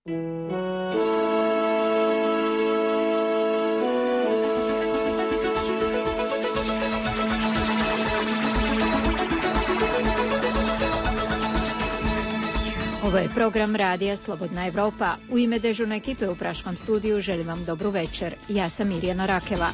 Ovo je program Radija Slobodna Evropa. U ime dežurne ekipe u Praškom studiju želim vam dobru večer. Ja sam Mirjana Rakela.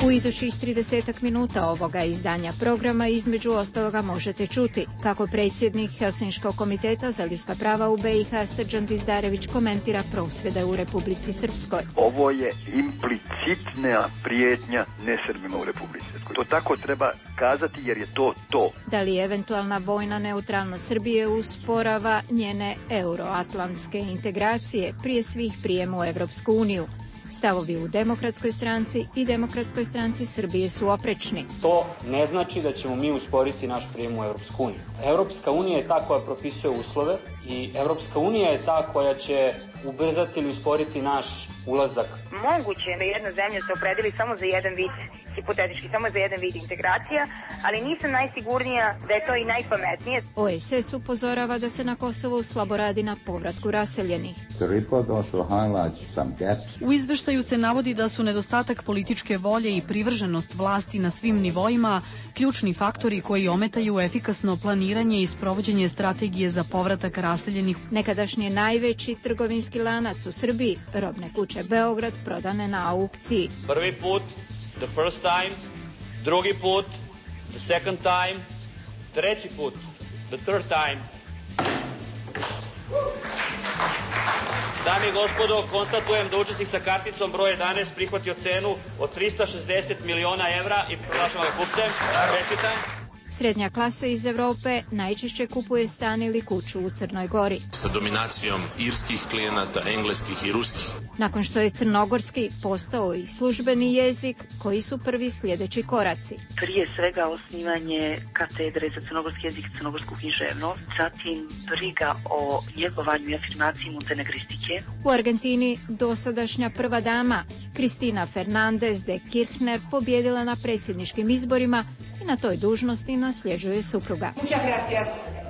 U idućih 30 minuta ovoga izdanja programa između ostaloga možete čuti kako predsjednik Helsinškog komiteta za ljudska prava u BiH Srđan Dizdarević komentira prosvjede u Republici Srpskoj. Ovo je implicitna prijetnja nesrbima u Republici Srpskoj. To tako treba kazati jer je to. Da li eventualna vojna neutralnost Srbije usporava njene euroatlantske integracije, prije svih prijem u Evropsku uniju? Stavovi u Demokratskoj stranci i Demokratskoj stranci Srbije su oprečni. To ne znači da ćemo mi usporiti naš prijem u Europsku uniju. Europska unija je ta koja propisuje uslove i Europska unija je ta koja će ubrzati ili usporiti naš ulazak. Moguće je da jedna zemlja se opredeli samo za jedan vid, hipotetički samo za jedan vid integracija, ali nisam najsigurnija da je to i najpametnije. OSS upozorava da se na Kosovu slabo radi na povratku raseljenih. U izveštaju se navodi da su nedostatak političke volje i privrženost vlasti na svim nivoima ključni faktori koji ometaju efikasno planiranje i sprovođenje strategije za povratak raseljenih. Nekadašnji najveći trgovinski lanac u Srbiji, Robne kuće Beograd, prodane na aukciji. Prvi put, the first time, drugi put, the second time, treći put, the third time. Dame i gospodo, konstatujem da učesnik sa karticom broj 11 prihvatio cenu od 360 miliona evra i proglašavam ga kupcem. Čestitam. Srednja klasa iz Evrope najčešće kupuje stan ili kuću u Crnoj Gori. Sa dominacijom irskih klijenata, engleskih i ruskih. Nakon što je crnogorski postao i službeni jezik, koji su prvi sljedeći koraci? Prije svega osnivanje katedre za crnogorski jezik i crnogorsku književnost, zatim briga o njegovanju i afirmaciji montenegristike. U Argentini dosadašnja prva dama Cristina Fernández de Kirchner pobjedila na predsjedničkim izborima i na toj dužnosti nasljeđuje supruga.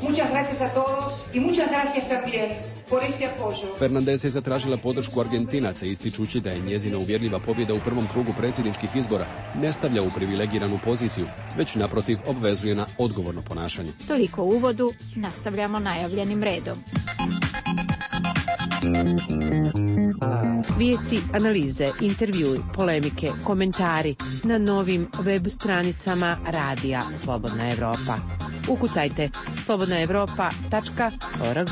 Muchas gracias a todos y muchas gracias también por este apoyo. Fernández je zatražila podršku Argentinaca ističući da je njezina uvjerljiva pobjeda u prvom krugu predsjedničkih izbora ne stavlja u privilegiranu poziciju, već naprotiv obvezuje na odgovorno ponašanje. Toliko u uvodu, nastavljamo najavljenim redom. Vijesti, analize, intervjui, polemike, komentari na novim web stranicama Radija Slobodna Evropa. Ukucajte slobodnaevropa.org.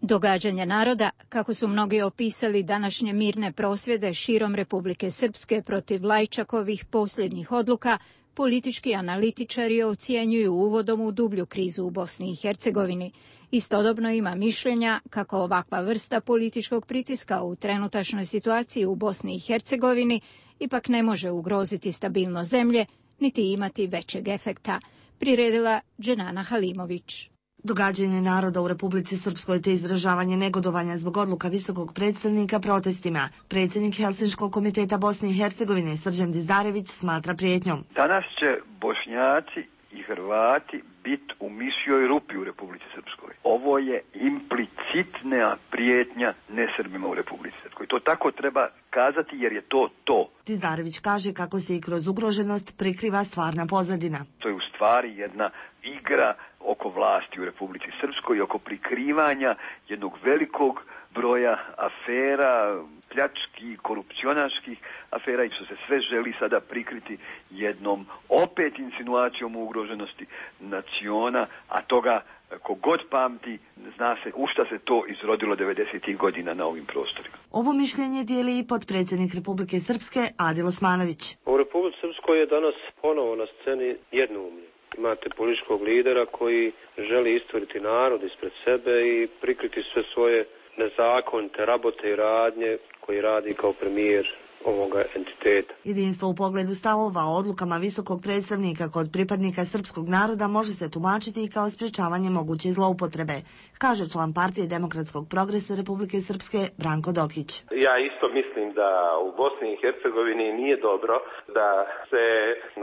Događanja naroda, kako su mnogi opisali današnje mirne prosvjede širom Republike Srpske protiv Lajčakovih posljednjih odluka, politički analitičari ocjenjuju uvodom u dublju krizu u Bosni i Hercegovini. Istodobno ima mišljenja kako ovakva vrsta političkog pritiska u trenutačnoj situaciji u Bosni i Hercegovini ipak ne može ugroziti stabilnost zemlje, niti imati većeg efekta, priredila Dženana Halimović. Događanje naroda u Republici Srpskoj te izražavanje negodovanja zbog odluka visokog predstavnika protestima. Predsjednik Helsinškog komiteta Bosne i Hercegovine Srđan Dizdarević smatra prijetnjom. Danas će Bošnjaci i Hrvati biti u mišjoj rupi u Republici Srpskoj. Ovo je implicitna prijetnja nesrbima u Republici Srpskoj. To tako treba kazati jer je to. Dizdarević kaže kako se i kroz ugroženost prikriva stvarna pozadina. To je u stvari jedna igra oko vlasti u Republici Srpskoj i oko prikrivanja jednog velikog broja afera, pljačkih, korupcionaških afera i što se sve želi sada prikriti jednom opet insinuacijom o ugroženosti naciona, a toga kogod pamti zna se u šta se to izrodilo 90. godina na ovim prostorima. Ovo mišljenje dijeli i potpredsjednik Republike Srpske Adil Osmanović. U Republici Srpskoj je danas ponovo na sceni jednoumlje. Imate političkog lidera koji želi isturiti narod ispred sebe i prikriti sve svoje nezakonite rabote i radnje koji radi kao premijer ovoga entiteta. Jedinstvo u pogledu stavova o odlukama visokog predstavnika kod pripadnika srpskog naroda može se tumačiti i kao sprečavanje moguće zloupotrebe, kaže član Partije demokratskog progresa Republike Srpske Branko Dokić. Ja isto mislim da u Bosni i Hercegovini nije dobro da se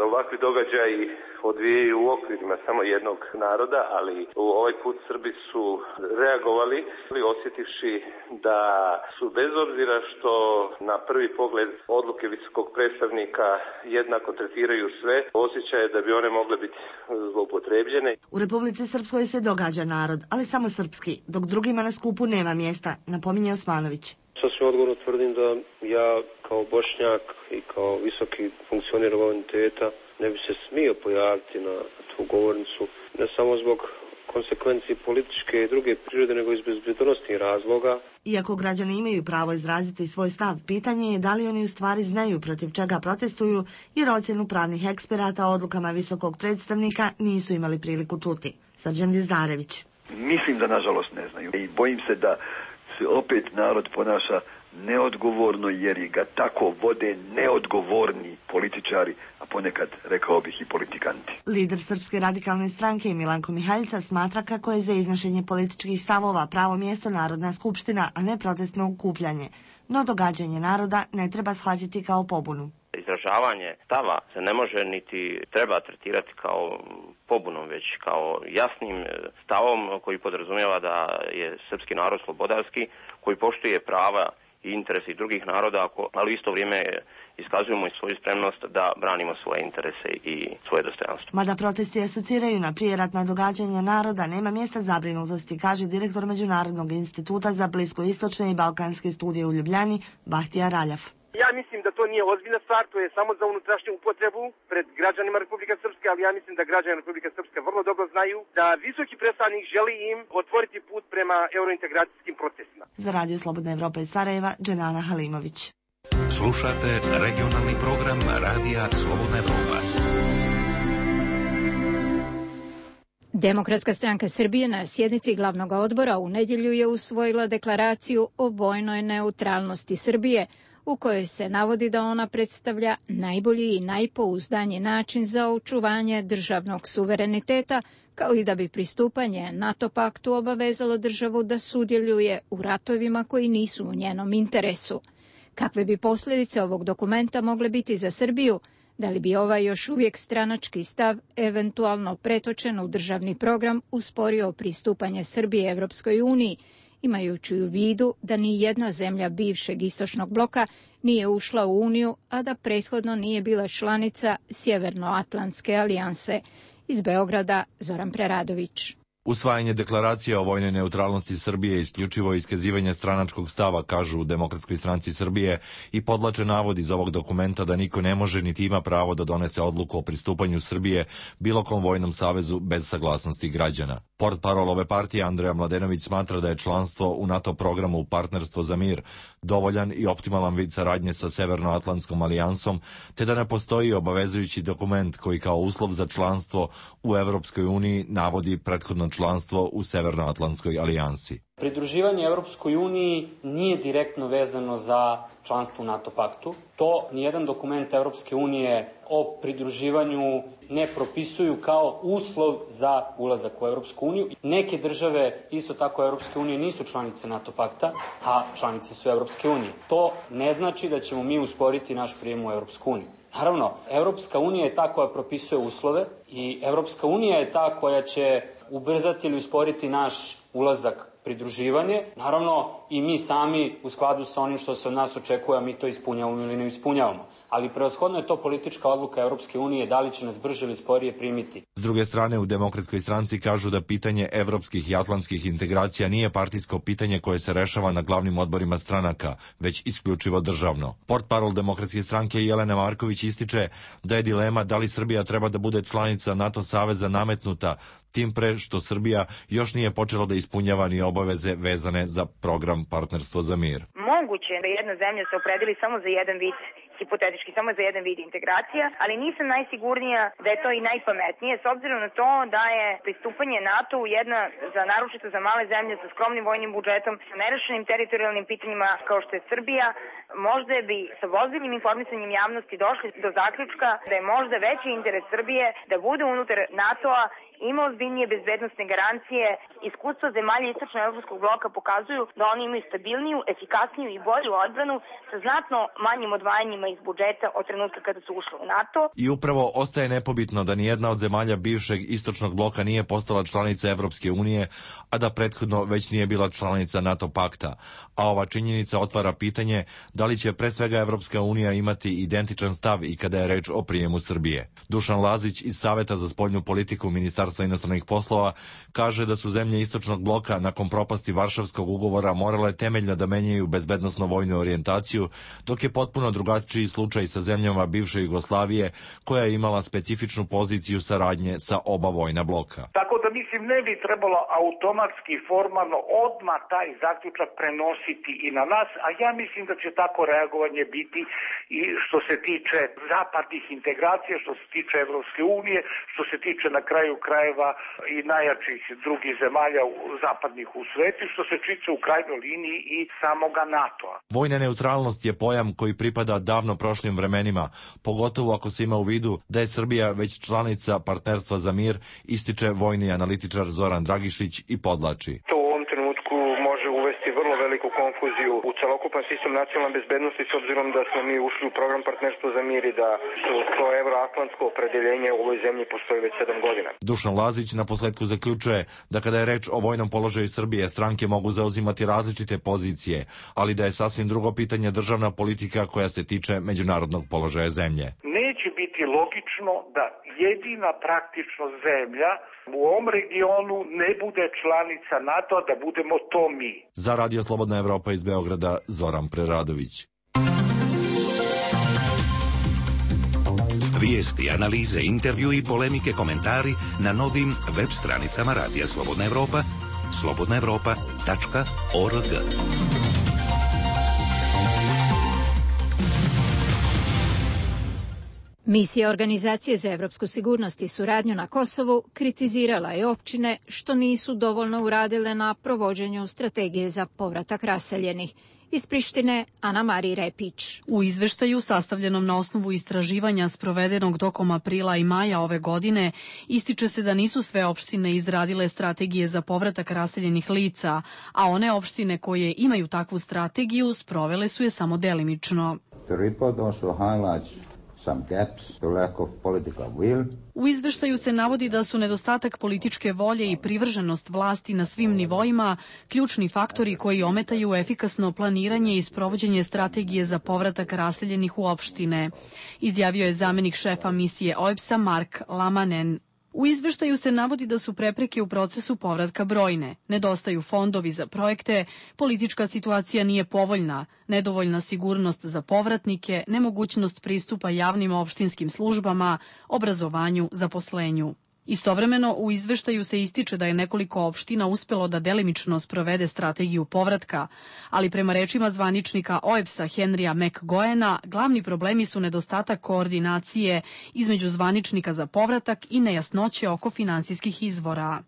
ovakvi događaji odvijaju u okvirima samo jednog naroda, ali ovaj put Srbi su reagovali osjetivši da su bez obzira što na prvi pogled odluke visokog predstavnika jednako tretiraju sve, osjećaje da bi one mogle biti zloupotrebljene. U Republici Srpskoj se događa narod, ali samo srpski, dok drugima na skupu nema mjesta, napominje Osmanović. Sasvim odgovorno tvrdim da ja kao Bošnjak i kao visoki funkcioner ovog entiteta ne bi se smio pojaviti na tu govornicu, ne samo zbog konsekvencije političke i druge prirode, nego iz bezbednosnih razloga. Iako građani imaju pravo izraziti svoj stav, pitanje je da li oni u stvari znaju protiv čega protestuju, jer ocjenu pravnih eksperata o odlukama visokog predstavnika nisu imali priliku čuti. Srđan Dizdarević. Mislim da nažalost ne znaju i bojim se da se opet narod ponaša neodgovorno jer ga tako vode neodgovorni političari, a ponekad, rekao bih, i politikanti. Lider Srpske radikalne stranke Milanko Mihaljica smatra kako je za iznošenje političkih stavova pravo mjesto Narodna skupština, a ne protestno okupljanje. No događanje naroda ne treba shvatiti kao pobunu. Izražavanje stava se ne može niti treba tretirati kao pobunom, već kao jasnim stavom koji podrazumijeva da je srpski narod slobodarski, koji poštuje prava i interese drugih naroda, ali u isto vrijeme iskazujemo i svoju spremnost da branimo svoje interese i svoje dostojanstvo. Mada protesti asociraju na prijeratna događanja naroda, nema mjesta zabrinutosti, kaže direktor Međunarodnog instituta za bliskoistočne i balkanske studije u Ljubljani, Bahtija Raljaf. Ja mislim da to nije ozbiljna stvar, to je samo za unutrašnju upotrebu pred građanima Republike Srpske, ali ja mislim da građani Republike Srpske vrlo dobro znaju da visoki predstavnik želi im otvoriti put prema eurointegracijskim procesima. Za Radio Slobodna Evropa iz Sarajeva, Dženana Halimović. Slušate regionalni program Radija Slobodna Evropa. Demokratska stranka Srbije na sjednici glavnog odbora u nedjelju je usvojila deklaraciju o vojnoj neutralnosti Srbije, u kojoj se navodi da ona predstavlja najbolji i najpouzdaniji način za očuvanje državnog suvereniteta, kao i da bi pristupanje NATO paktu obavezalo državu da sudjeluje u ratovima koji nisu u njenom interesu. Kakve bi posljedice ovog dokumenta mogle biti za Srbiju? Da li bi ovaj još uvijek stranački stav, eventualno pretočen u državni program, usporio pristupanje Srbije Evropskoj uniji, imajući u vidu da ni jedna zemlja bivšeg istočnog bloka nije ušla u Uniju, a da prethodno nije bila članica Sjevernoatlantske alijanse. Iz Beograda, Zoran Preradović. Usvajanje deklaracije o vojnoj neutralnosti Srbije je isključivo iskazivanje stranačkog stava, kažu u Demokratskoj stranci Srbije, i podlače navod iz ovog dokumenta da niko ne može niti ima pravo da donese odluku o pristupanju Srbije bilo kom vojnom savezu bez saglasnosti građana. Portparol ove partije Andreja Mladenović smatra da je članstvo u NATO programu Partnerstvo za mir dovoljan i optimalan vid saradnje sa Severnoatlantskom alijansom, te da ne postoji obavezujući dokument koji kao uslov za članstvo u Evropskoj uniji navodi prethodno članstvo u Severnoatlantskoj alijansi. Pridruživanje Evropskoj uniji nije direktno vezano za članstvo u NATO paktu. To nijedan dokument Evropske unije o pridruživanju ne propisuju kao uslov za ulazak u Evropsku uniju. Neke države, isto tako Evropske unije, nisu članice NATO pakta, a članice su Evropske unije. To ne znači da ćemo mi usporiti naš prijem u Evropsku uniju. Naravno, Evropska unija je ta koja propisuje uslove i Evropska unija je ta koja će ubrzati ili usporiti naš ulazak, pridruživanje. Naravno, i mi sami u skladu sa onim što se od nas očekuje, a mi to ispunjavamo ili ne ispunjavamo. Ali prevashodno je to politička odluka Evropske unije da li će nas brže ili sporije primiti. S druge strane, u Demokratskoj stranci kažu da pitanje evropskih i atlantskih integracija nije partijsko pitanje koje se rešava na glavnim odborima stranaka, već isključivo državno. Portparol Demokratske stranke Jelena Marković ističe da je dilema da li Srbija treba da bude članica NATO saveza nametnuta, tim pre što Srbija još nije počela da ispunjava ni obaveze vezane za program Partnerstvo za mir. Moguće je da jedna zemlja se opredeli samo za jedan vid hipotetički samo za jedan vid integracija, ali nisam najsigurnija da je to i najpametnije, s obzirom na to da je pristupanje NATO jedna, naročito za male zemlje sa skromnim vojnim budžetom, sa nerešenim teritorijalnim pitanjima kao što je Srbija, možda bi sa ozbiljnim informisanjem javnosti došli do zaključka da je možda veći interes Srbije da bude unutar NATO-a, ima ozbiljnije bezbednosne garancije. Iskustva zemalja istočno-evropskog bloka pokazuju da oni imaju stabilniju, efikasniju i bolju odbranu sa znatno manjim odvajanjima iz budžeta od trenutka kada su ušli u NATO. I upravo ostaje nepobitno da nijedna od zemalja bivšeg istočnog bloka nije postala članica Evropske unije, a da prethodno već nije bila članica NATO pakta. A ova činjenica otvara pitanje da li će pre svega Evropska unija imati identičan stav i kada je reč o prijemu Srbije. Dušan Lazić iz Saveta za spoljnu politiku Ministarstva inostranih poslova kaže da su zemlje istočnog bloka nakon propasti Varšavskog ugovora morale temeljno da menjaju bezbednosno-vojnu orijentaciju, dok je potpuno drugačiji slučaj sa zemljama bivše Jugoslavije koja je imala specifičnu poziciju saradnje sa oba vojna bloka. Tako da mislim ne bi trebalo automatski formalno odmah taj zaključak prenositi i na nas, a ja mislim da će tako reagovanje biti i što se tiče zapadnih integracija, što se tiče Evropske unije, što se tiče na kraju krajeva i najjačih drugih zemalja zapadnih u svetu, što se tiče u krajnjoj liniji i samoga NATO-a. Vojna neutralnost je pojam koji pripada davno prošlim vremenima, pogotovo ako se ima u vidu da je Srbija već članica Partnerstva za mir, ističe vojni analitičar Zoran Dragišić i podlači. To u ovom trenutku može uvesti vrlo veliku konfuziju u celokupan sistem nacionalne bezbednosti, s obzirom da smo mi ušli u program Partnerstva za mir i da to evroatlantsko opredeljenje u ovoj zemlji postoji već 7 godina. Dušan Lazić naposletku zaključuje da kada je reč o vojnom položaju Srbije, stranke mogu zauzimati različite pozicije, ali da je sasvim drugo pitanje državna politika koja se tiče međunarodnog položaja zemlje. Neće biti logično da jedina praktično zemlja u ovom regionu ne bude članica NATO-a, da budemo to mi. Za Radio Slobodna Evropa iz Beograda, Zoran Preradović. Vijesti, analize, intervju i polemike, komentari na novim web stranicama Radija Slobodna Evropa, slobodnaevropa.org. Misija Organizacije za evropsku sigurnost i suradnju na Kosovu kritizirala je općine što nisu dovoljno uradile na provođenju strategije za povratak raseljenih. Iz Prištine, Ana Marija Repić. U izveštaju sastavljenom na osnovu istraživanja sprovedenog tokom aprila i maja ove godine ističe se da nisu sve opštine izradile strategije za povratak raseljenih lica, a one opštine koje imaju takvu strategiju sprovele su je samo delimično. U izveštaju se navodi da su nedostatak političke volje i privrženost vlasti na svim nivoima ključni faktori koji ometaju efikasno planiranje i sprovođenje strategije za povratak raseljenih u opštine, izjavio je zamenik šefa misije OEBS-a Mark Lamanen. U izveštaju se navodi da su prepreke u procesu povratka brojne, nedostaju fondovi za projekte, politička situacija nije povoljna, nedovoljna sigurnost za povratnike, nemogućnost pristupa javnim opštinskim službama, obrazovanju, zaposlenju. Istovremeno, u izveštaju se ističe da je nekoliko opština uspelo da delimično sprovede strategiju povratka, ali prema rečima zvaničnika OEBS-a Henrya McGoena, glavni problemi su nedostatak koordinacije između zvaničnika za povratak i nejasnoće oko finansijskih izvora.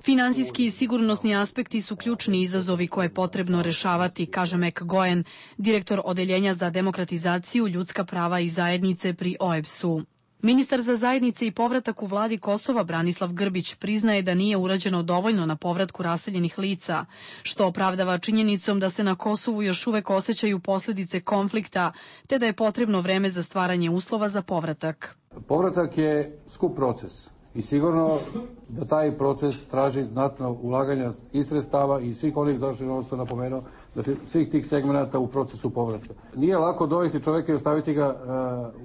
Finansijski i sigurnosni aspekti su ključni izazovi koje je potrebno rešavati, kaže McGoen, direktor Odeljenja za demokratizaciju, ljudska prava i zajednice pri OEBS-u. Ministar za zajednice i povratak u vladi Kosova Branislav Grbić priznaje da nije urađeno dovoljno na povratku raseljenih lica, što opravdava činjenicom da se na Kosovu još uvek osjećaju posljedice konflikta, te da je potrebno vreme za stvaranje uslova za povratak. Povratak je skup proces i sigurno da taj proces traži znatno ulaganja i sredstava i svih onih zaštitnih, ono što sam napomenuo, znači svih tih segmenata u procesu povratka. Nije lako dovesti čovjeka i ostaviti ga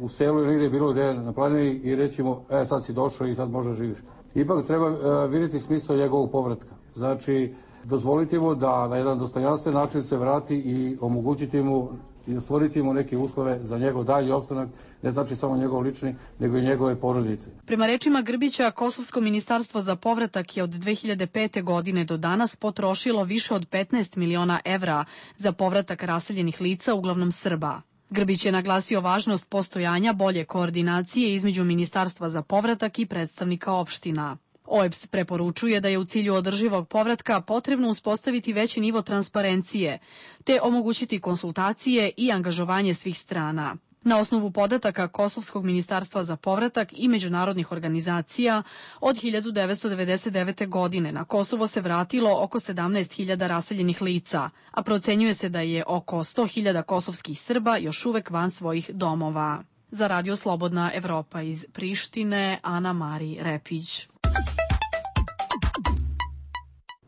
u selu ili negdje bilo gdje na planini i reći mu sad si došao i sad možda živiš. Ipak treba vidjeti smisao njegovog povratka. Znači dozvoliti mu da na jedan dostojanstven način se vrati i omogućiti mu i stvoriti mu neke uslove za njegov dalji opstanak, ne znači samo njegov lični, nego i njegove porodice. Prema rečima Grbića, Kosovsko ministarstvo za povratak je od 2005. godine do danas potrošilo više od 15 miliona evra za povratak raseljenih lica, uglavnom Srba. Grbić je naglasio važnost postojanja bolje koordinacije između Ministarstva za povratak i predstavnika opština. OEBS preporučuje da je u cilju održivog povratka potrebno uspostaviti veći nivo transparencije, te omogućiti konsultacije i angažovanje svih strana. Na osnovu podataka Kosovskog ministarstva za povratak i međunarodnih organizacija, od 1999. godine na Kosovo se vratilo oko 17.000 raseljenih lica, a procenjuje se da je oko 100.000 kosovskih Srba još uvek van svojih domova. Za Radio Slobodna Evropa iz Prištine, Ana Mari Repić.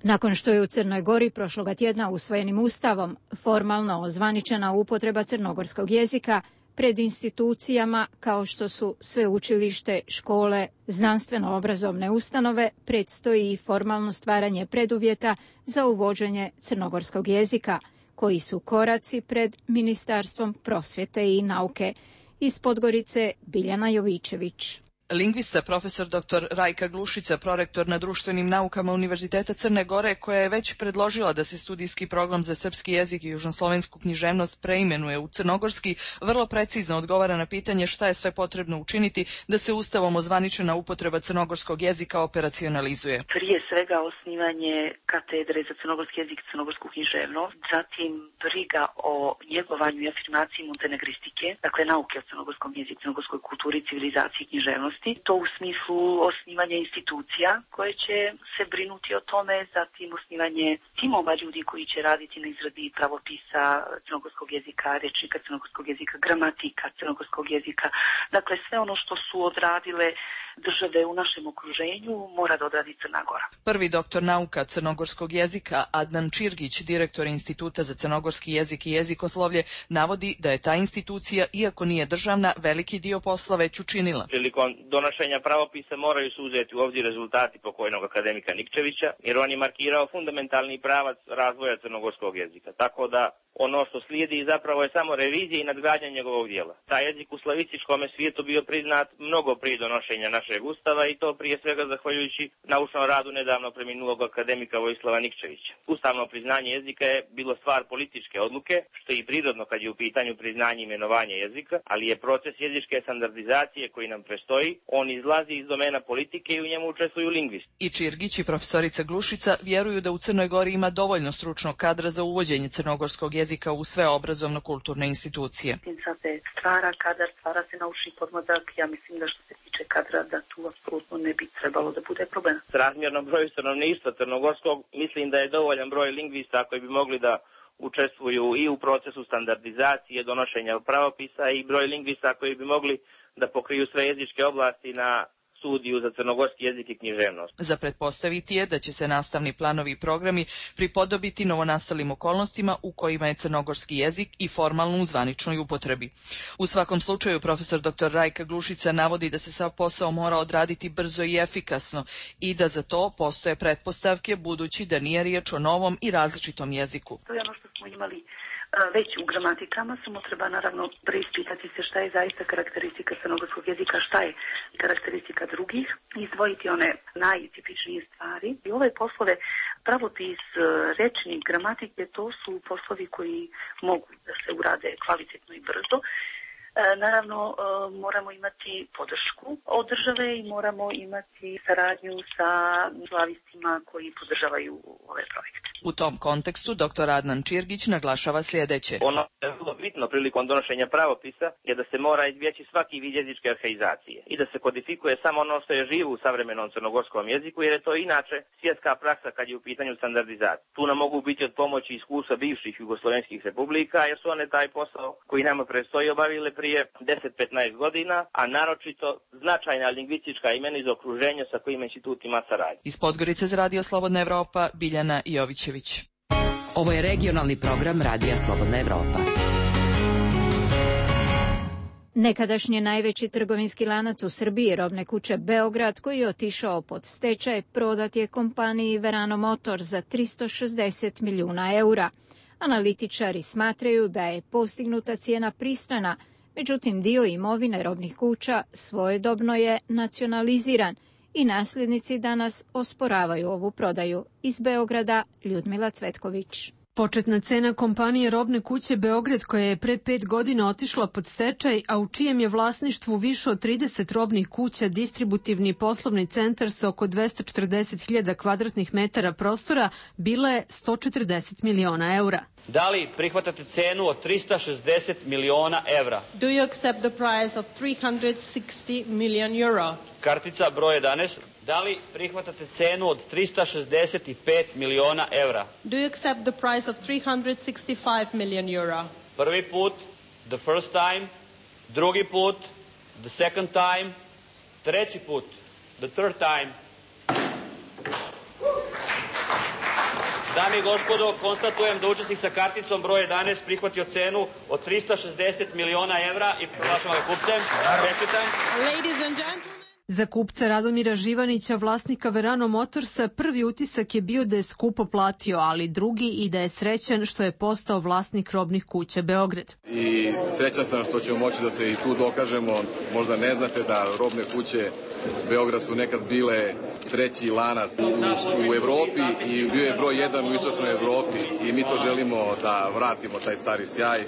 Nakon što je u Crnoj Gori prošloga tjedna usvojenim ustavom formalno ozvaničena upotreba crnogorskog jezika pred institucijama kao što su sveučilište, škole, znanstveno-obrazovne ustanove, predstoji i formalno stvaranje preduvjeta za uvođenje crnogorskog jezika, koji su koraci pred Ministarstvom prosvjete i nauke. Iz Podgorice, Biljana Jovičević. Lingvista profesor dr. Rajka Glušica, prorektor na društvenim naukama Univerziteta Crne Gore, koja je već predložila da se studijski program za srpski jezik i južnoslovensku književnost preimenuje u crnogorski, vrlo precizno odgovara na pitanje šta je sve potrebno učiniti da se ustavom ozvaničena upotreba crnogorskog jezika operacionalizuje. Prije svega osnivanje katedre za crnogorski jezik i crnogorsku književnost, zatim briga o njegovanju i afirmaciji montenegristike, dakle nauke o crnogorskom jeziku, crnogorskoj kulturi, civilizaciji i književnosti. To u smislu osnivanja institucija koje će se brinuti o tome, zatim osnivanje timova ljudi koji će raditi na izradi pravopisa crnogorskog jezika, rečnika crnogorskog jezika, gramatika crnogorskog jezika. Dakle, sve ono što su odradile države u našem okruženju mora da odradi Crna Gora. Prvi doktor nauka crnogorskog jezika Adnan Čirgić, direktor Instituta za crnogorski jezik i jezikoslovlje, navodi da je ta institucija, iako nije državna, veliki dio posla već učinila. Prilikom donošenja pravopisa moraju se uzeti u obzir rezultati pokojnog akademika Nikčevića, jer on je markirao fundamentalni pravac razvoja crnogorskog jezika. Tako da ono što slijedi zapravo je samo revizija i nadgradnja njegovog dijela. Taj jezik u slavističkom svijetu bio priznat mnogo prije donošenja našeg ustava i to prije svega zahvaljujući naučnom radu nedavno preminulog akademika Vojislava Nikčevića. Ustavno priznanje jezika je bilo stvar političke odluke, što je i prirodno kad je u pitanju priznanje i imenovanje jezika, ali je proces jezičke standardizacije koji nam prestoji, on izlazi iz domena politike i u njemu učestvuju lingvisti. I Čirgić i profesorica Glušica vjeruju da u Crnoj Gori ima dovoljno stručnog kadra za uvođenje crnogorskog jezika u sve obrazovno-kulturne institucije. Sad se stvara kadar, stvara se naučni podmladak. Ja mislim da što se tiče kadra da tu apsolutno ne bi trebalo da bude problem. S razmjernom broju stanovništva crnogorskog mislim da je dovoljan broj lingvista koji bi mogli da učestvuju i u procesu standardizacije, donošenja pravopisa i broj lingvista koji bi mogli da pokriju sve jezičke oblasti na studiju za crnogorski jezik i književnost. Za pretpostaviti je da će se nastavni planovi i programi pripodobiti novonastalim okolnostima u kojima je crnogorski jezik i formalno u zvaničnoj upotrebi. U svakom slučaju, profesor dr. Rajka Glušica navodi da se sav posao mora odraditi brzo i efikasno i da za to postoje pretpostavke, budući da nije riječ o novom i različitom jeziku. To je ono što smo imali već u gramatikama, samo treba naravno preispitati se šta je zaista karakteristika crnogorskog jezika, šta je karakteristika drugih, izdvojiti one najtipičnije stvari. I ove poslove, pravopis, rečnik, gramatike, to su poslovi koji mogu da se urade kvalitetno i brzo. Naravno, moramo imati podršku od države i moramo imati saradnju sa slavistima koji podržavaju ove projekte. U tom kontekstu dr. Adnan Čirgić naglašava sljedeće. Ono je vrlo bitno prilikom donošenja pravopisa je da se mora izbjeći svaki vid jezičke arhaizacije i da se kodifikuje samo ono što je živo u savremenom crnogorskom jeziku, jer je to inače svjetska praksa kad je u pitanju standardizacije. Tu nam mogu biti od pomoći iskustva bivših jugoslovenskih republika, jer su one taj posao koji nama predstoji obavile prije 10-15 godina, a naročito značajna lingvistička imena iz okruženja sa kojim institut ima saradnju. Iz Podgorice za Radio Slobodna Evropa, Biljana Jovićević. Ovo je regionalni program Radija Slobodna Evropa. Nekadašnji najveći trgovinski lanac u Srbiji, robne kuće Beograd, koji je otišao pod stečaj, prodat je kompaniji Verano Motor za 360 milijuna eura. Analitičari smatraju da je postignuta cijena pristojna, međutim dio imovine robnih kuća svojedobno je nacionaliziran i nasljednici danas osporavaju ovu prodaju. Iz Beograda Ljudmila Cvetković. Početna cena kompanije Robne kuće Beograd, koja je pre 5 godina otišla pod stečaj, a u čijem je vlasništvu više od 30 robnih kuća, distributivni poslovni centar sa oko 240.000 kvadratnih metara prostora, bila je 140 miliona eura. Da li prihvatate cenu od 360 miliona evra? Do you accept the price of 360 million euro? Kartica broj 11. Da li prihvatate cenu od 365 miliona evra? Do you accept the price of 365 million euro? Prvi put, the first time, drugi put, the second time, treći put, the third time. Dame i gospodo, konstatujem da učesnik sa karticom broj 11 prihvatio cenu od 360 miliona evra i proglašavam ga kupcem. Čestitam. Ladies and gentlemen. Za kupca Radomira Živanića, vlasnika Verano Motorsa, prvi utisak je bio da je skupo platio, ali drugi i da je srećan što je postao vlasnik robnih kuća Beograd. I srećan sam što ćemo moći da se i tu dokažemo. Možda ne znate da robne kuće Beograd su nekad bile treći lanac u Evropi i bio je broj 1 u istočnoj Evropi i mi to želimo da vratimo taj stari sjaj.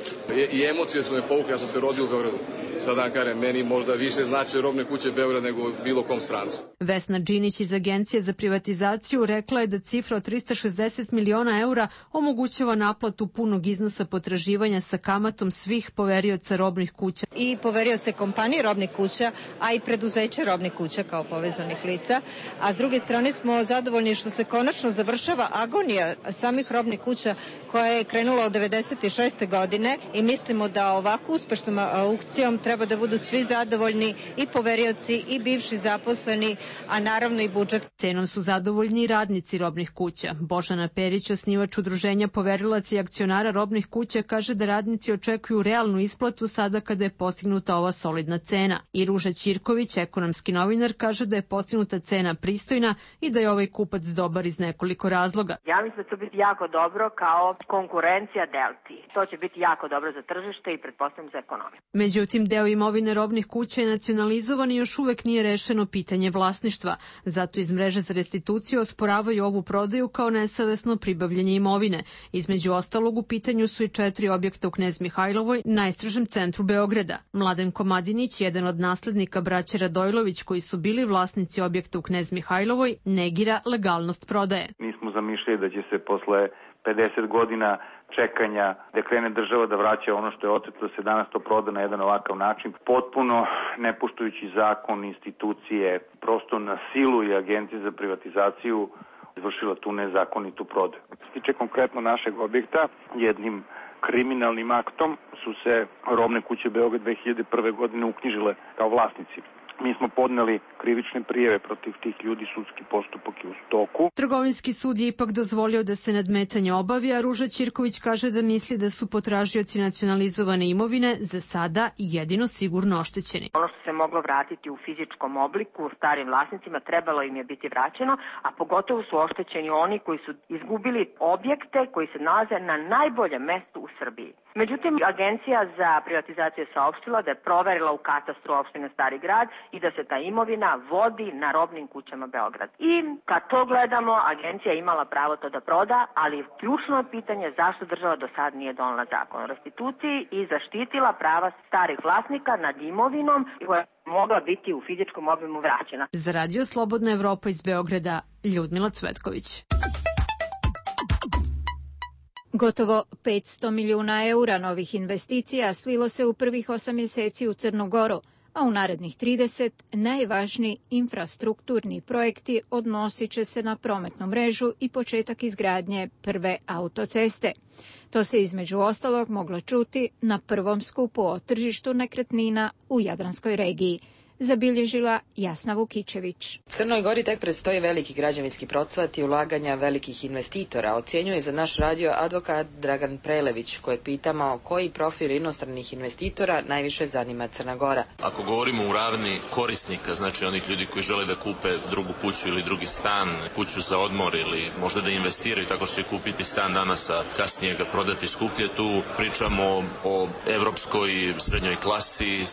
I emocije su me povukle, ja sam se rodio u Beogradu. Sada kažem, meni možda više znače robne kuće Beograd nego bilo kom strancu. Vesna Džinić iz Agencije za privatizaciju rekla je da cifra od 360 miliona eura omogućava naplatu punog iznosa potraživanja sa kamatom svih poverioca robnih kuća. I poverioce kompanije robnih kuća, a i preduzeće robnih kuća kao povezanih lica. A s druge strane smo zadovoljni što se konačno završava agonija samih robnih kuća koja je krenula od 96. godine i mislimo da ovako uspešnom aukcijom treba da budu svi zadovoljni, i poverioci i bivši zaposleni, a naravno i budžet. Cenom su zadovoljni i radnici robnih kuća. Božana Perić, osnivač udruženja poverilaca i akcionara robnih kuća, kaže da radnici očekuju realnu isplatu sada kada je postignuta ova solidna cena. I Ruža Ćirković, ekonomski novinar, kaže da je postignuta cena pristojna i da je ovaj kupac dobar iz nekoliko razloga. Ja mislim da će biti jako dobro kao konkurencija Delti. To će biti jako dobro za tržište i pretpostavljam za ekonomiju. Međutim, deo imovine robnih kuća je nacionalizovan i još uvek nije rešeno pitanje vlasništva. Zato iz mreže za restituciju osporavaju ovu prodaju kao nesavesno pribavljanje imovine. Između ostalog, u pitanju su i 4 objekta u Knez Mihajlovoj, najstrožem centru Beograda. Mladen Komadinić, jedan od naslednika braće Radojlović koji su bili vlasnici objekta u Knez Mihajlovoj, negira legalnost prodaje. Mi smo zamišljali da će se posle 50 godina čekanja da krene država da vraća ono što je oteto, da se danas to proda na jedan ovakav način, potpuno ne poštujući zakon, institucije, prosto na silu i Agencije za privatizaciju izvršila tu nezakonitu prodaju. Što se tiče konkretno našeg objekta, jednim kriminalnim aktom su se robne kuće Beograd 2001. godine uknjižile kao vlasnici. Mi smo podneli krivične prijave protiv tih ljudi, sudski postupak je u toku. Trgovinski sud je ipak dozvolio da se nadmetanje obavi, a Ruža Ćirković kaže da misli da su potražioci nacionalizovane imovine za sada jedino sigurno oštećeni. Ono što se moglo vratiti u fizičkom obliku starim vlasnicima trebalo im je biti vraćeno, a pogotovo su oštećeni oni koji su izgubili objekte koji se nalaze na najboljem mestu u Srbiji. Međutim, Agencija za privatizaciju je saopštila da je proverila u katastru opštine Stari Grad i da se ta imovina vodi na robnim kućama Beograd. I kad to gledamo, agencija je imala pravo to da proda, ali ključno je pitanje zašto država do sad nije donela zakon o restituciji i zaštitila prava starih vlasnika nad imovinom koja je mogla biti u fizičkom obimu vraćena. Za Radio Slobodna Evropa iz Beograda, Ljudmila Cvetković. Gotovo 500 milijuna eura novih investicija slilo se u prvih 8 mjeseci u Crnu Goru, a u narednih 30 najvažniji infrastrukturni projekti odnosit će se na prometnu mrežu i početak izgradnje prve autoceste. To se između ostalog moglo čuti na prvom skupu o tržištu nekretnina u Jadranskoj regiji. zabilježila Jasna Vukičević. Crnoj Gori tek predstoji veliki građevinski procvat i ulaganja velikih investitora, ocjenjuje za naš radio advokat Dragan Prelević, kojeg pitamo koji profil inostranih investitora najviše zanima Crna Gora. Ako govorimo u ravni korisnika, znači onih ljudi koji žele da kupe drugu kuću ili drugi stan, kuću za odmor ili možda da investiraju tako što će kupiti stan danas, a kasnije ga prodati skuplje, tu pričamo o evropskoj srednjoj klasi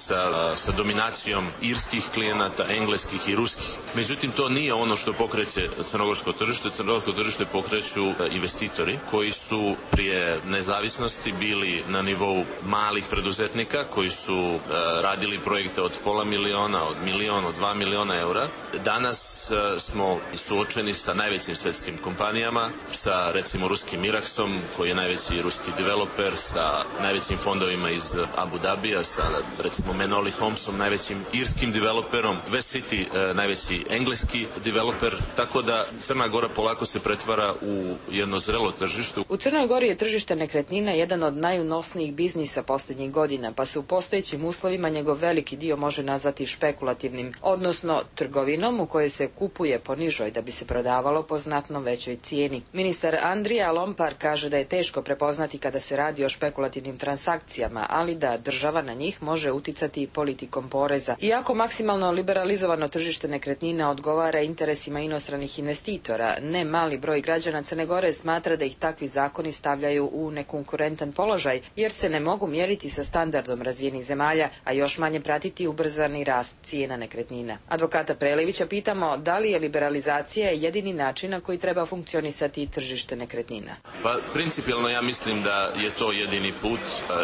sa dominacijom irskih klijenata, engleskih i ruskih. Međutim, to nije ono što pokreće crnogorsko tržište. Crnogorsko tržište pokreću investitori koji su prije nezavisnosti bili na nivou malih preduzetnika koji su radili projekte od $500.000, od 1 milion, od 2 miliona eura. Danas smo suočeni sa najvećim svetskim kompanijama, sa recimo ruskim Iraksom, koji je najveći ruski developer, sa najvećim fondovima iz Abu Dhabija, sa recimo Menoli Homesom, najvećim irskim developerom, West City, najveći engleski developer, tako da Crna Gora polako se pretvara u jedno zrelo tržište. U Crnoj Gori je tržište nekretnina jedan od najunosnijih biznisa posljednjih godina, pa se u postojećim uslovima njegov veliki dio može nazvati špekulativnim, odnosno trgovinom u kojoj se kupuje po nižoj da bi se prodavalo po znatno većoj cijeni. Ministar Andrija Lompar kaže da je teško prepoznati kada se radi o špekulativnim transakcijama, ali da država na njih može uticati politikom poreza. Iako maksimalno liberalizovano tržište nekretnina odgovara interesima inostranih investitora, ne mali broj građana Crne Gore smatra da ih takvi zakoni stavljaju u nekonkurentan položaj, jer se ne mogu mjeriti sa standardom razvijenih zemalja, a još manje pratiti ubrzani rast cijena nekretnina. Advokata Prelevića pitamo da li je liberalizacija jedini način na koji treba funkcionisati tržište nekretnina. Pa, principijelno ja mislim da je to jedini put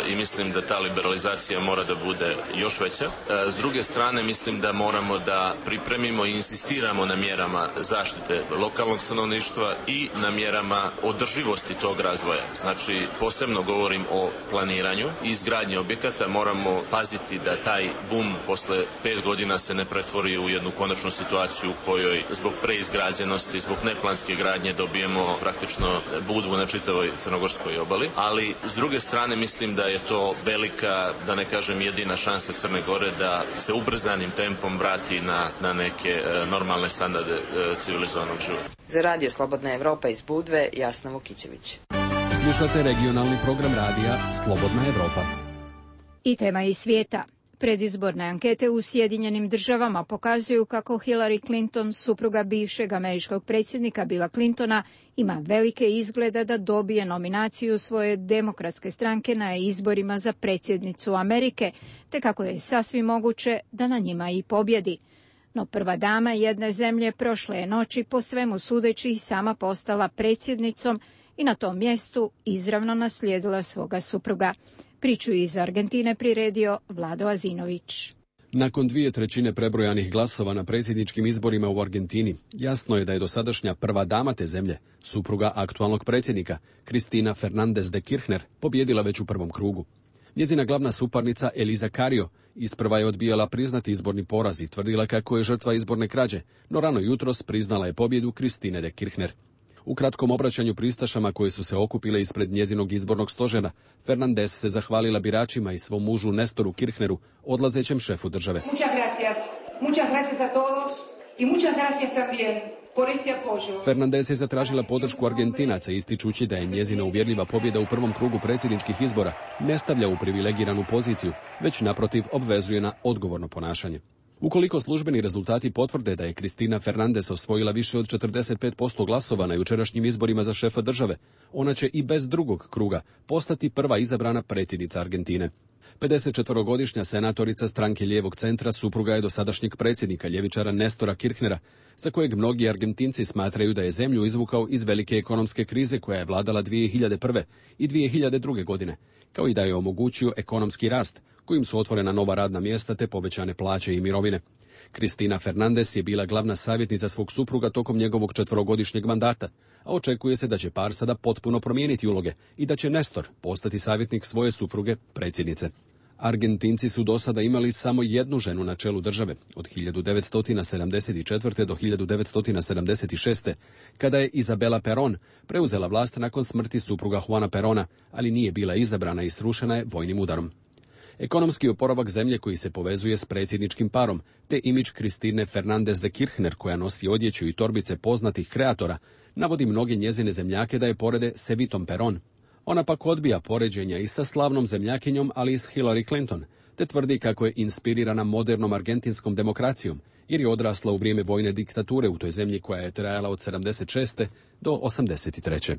i mislim da ta liberalizacija mora da bude još veća. S druge strane, mislim da moramo da pripremimo i insistiramo na mjerama zaštite lokalnog stanovništva i na mjerama održivosti tog razvoja. Znači, posebno govorim o planiranju i izgradnji objekata. Moramo paziti da taj bum posle 5 godina se ne pretvori u jednu konačnu situaciju u kojoj zbog preizgrađenosti, zbog neplanske gradnje dobijemo praktično budvu na čitavoj crnogorskoj obali. Ali, s druge strane, mislim da je to velika, da ne kažem jedina šansa Crne Gore da se ubrzanim tempom vrati na neke normalne standarde civilizovanog života. Za radio Slobodna Evropa iz Budve, Jasna Vukičević. Slušate regionalni program radija Slobodna Evropa. I tema iz svijeta. Predizborne ankete u Sjedinjenim Državama pokazuju kako Hillary Clinton, supruga bivšeg američkog predsjednika Billa Clintona, ima velike izgleda da dobije nominaciju svoje demokratske stranke na izborima za predsjednicu Amerike, te kako je sasvim moguće da na njima i pobjedi. No prva dama jedne zemlje prošle je noći po svemu sudeći i sama postala predsjednicom i na tom mjestu izravno naslijedila svoga supruga. Priču iz Argentine priredio Vlado Azinović. Nakon 2/3 prebrojanih glasova na predsjedničkim izborima u Argentini, jasno je da je dosadašnja prva dama te zemlje, supruga aktualnog predsjednika, Cristina Fernández de Kirchner, pobjedila već u prvom krugu. Njezina glavna suparnica Elisa Carrió isprva je odbijala priznati izborni poraz i tvrdila kako je žrtva izborne krađe, no rano jutros priznala je pobjedu Cristine de Kirchner. U kratkom obraćanju pristašama koje su se okupile ispred njezinog izbornog stožera, Fernández se zahvalila biračima i svom mužu Nestoru Kirchneru, odlazećem šefu države. Muchas gracias a todos y muchas gracias también por este apoyo. Fernández je zatražila podršku Argentinaca ističući da je njezina uvjerljiva pobjeda u prvom krugu predsjedničkih izbora ne stavlja u privilegiranu poziciju, već naprotiv obvezuje na odgovorno ponašanje. Ukoliko službeni rezultati potvrde da je Cristina Fernández osvojila više od 45% glasova na jučerašnjim izborima za šefa države, ona će i bez drugog kruga postati prva izabrana predsjednica Argentine. 54-godišnja senatorica stranke lijevog centra supruga je dosadašnjeg predsjednika ljevičara Nestora Kirchnera, za kojeg mnogi Argentinci smatraju da je zemlju izvukao iz velike ekonomske krize koja je vladala 2001. i 2002. godine, kao i da je omogućio ekonomski rast, kojim su otvorena nova radna mjesta te povećane plaće i mirovine. Cristina Fernández je bila glavna savjetnica svog supruga tokom njegovog 4-godišnjeg mandata, a očekuje se da će par sada potpuno promijeniti uloge i da će Nestor postati savjetnik svoje supruge, predsjednice. Argentinci su do sada imali samo jednu ženu na čelu države, od 1974. do 1976. kada je Isabela Perón preuzela vlast nakon smrti supruga Juana Perona, ali nije bila izabrana i srušena je vojnim udarom. ekonomski oporavak zemlje koji se povezuje s predsjedničkim parom, te imidž Kristine Fernandez de Kirchner koja nosi odjeću i torbice poznatih kreatora, navodi mnoge njezine zemljake da je porede s Evitom Peron. Ona pak odbija poređenja i sa slavnom zemljakinjom, ali i s Hillary Clinton, te tvrdi kako je inspirirana modernom argentinskom demokracijom, jer je odrasla u vrijeme vojne diktature u toj zemlji koja je trajala od 76. do 83.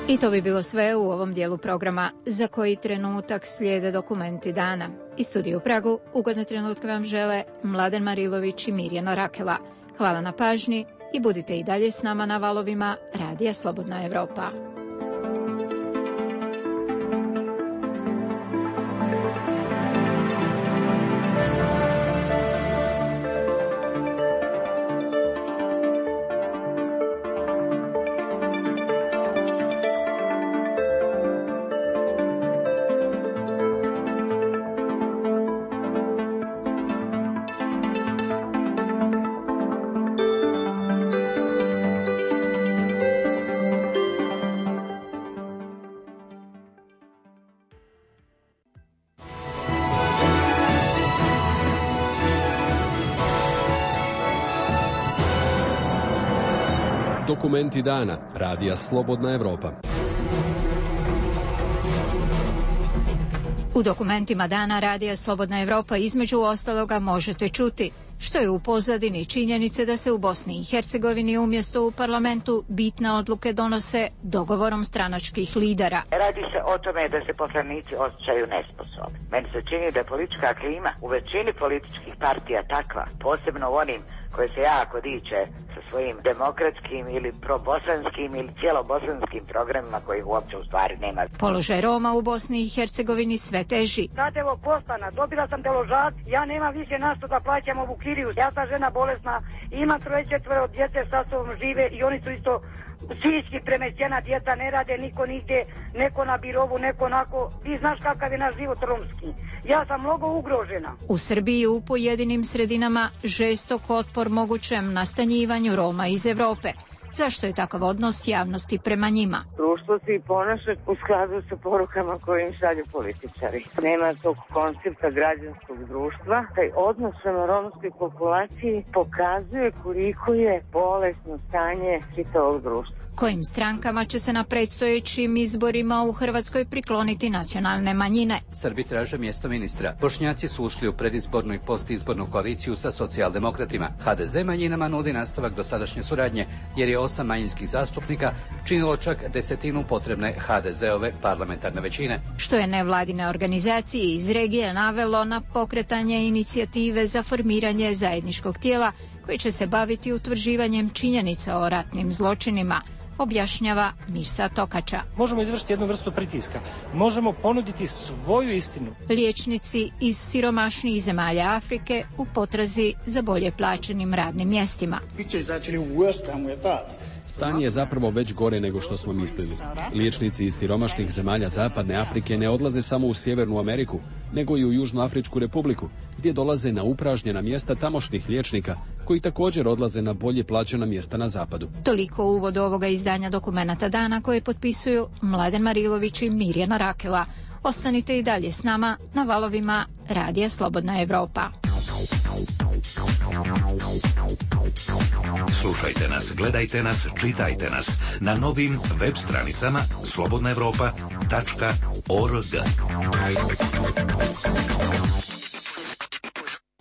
I to bi bilo sve u ovom dijelu programa. Za koji trenutak slijede dokumenti dana. Iz studija u Pragu ugodne trenutke vam žele Mladen Marilović i Mirjana Rakela. Hvala na pažnji i budite i dalje s nama na valovima Radija Slobodna Evropa. Dokumenti dana. Radija Slobodna Evropa. U dokumentima dana Radija Slobodna Evropa između ostaloga možete čuti što je u pozadini činjenice da se u Bosni i Hercegovini umjesto u parlamentu bitne odluke donose dogovorom stranačkih lidera. Radi se o tome da se poslanici osjećaju nesposobni. Meni se čini da je politička klima u većini političkih partija takva, posebno u onim koje se jako diče sa svojim demokratskim ili probosanskim ili cijelobosanskim programima kojih uopće u stvari nema. Položaj Roma u Bosni i Hercegovini sve teži. Sad evo postana, dobila sam deložac, ja nemam više na što da plaćam ovu kiriju. Ja sam žena bolesna, imam 3-4 djece sa sobom žive i oni su isto psihički premešćena djeca, ne rade niko nigdje, neko na birovu, neko onako. Ti znaš kakav je naš život romski. Ja sam mnogo ugrožena. U Srbiji u pojedinim sredinama žestok otpor mogućem nastanjivanju Roma iz Evrope. Zašto je takav odnos javnosti prema njima? Društvo se i ponaša u skladu sa porukama koje im šalju političari. Nema tog koncepta građanskog društva. Taj odnos prema romskoj populaciji pokazuje koliko je bolesno stanje čitavog društva. Kojim strankama će se na predstojećim izborima u Hrvatskoj prikloniti nacionalne manjine? Srbi traže mjesto ministra. Bošnjaci su ušli u predizbornu i postizbornu koaliciju sa socijaldemokratima. HDZ manjinama nudi nastavak dosadašnje suradnje, jer je 8 manjinskih zastupnika činilo čak 1/10 potrebne HDZ-ove parlamentarne većine. Što je nevladine organizacije iz regije navelo na pokretanje inicijative za formiranje zajedničkog tijela koji će se baviti utvrđivanjem činjenica o ratnim zločinima, objašnjava Mirsa Tokača. Možemo izvršiti jednu vrstu pritiska. Možemo ponuditi svoju istinu. Liječnici iz siromašnijih zemalja Afrike u potrazi za bolje plaćenim radnim mjestima. Stanje je zapravo već gore nego što smo mislili. Liječnici iz siromašnih zemalja Zapadne Afrike ne odlaze samo u Sjevernu Ameriku, nego i u Južnoafričku republiku, gdje dolaze na upražnjena mjesta tamošnjih liječnika, koji također odlaze na bolje plaćena mjesta na zapadu. Toliko u uvodu ovoga izdanja dokumenata dana koje potpisuju Mladen Marilović i Mirjana Rakela. Ostanite i dalje s nama na valovima Radija Slobodna Evropa. Slušajte nas, gledajte nas, čitajte nas na novim web stranicama slobodnaevropa.org.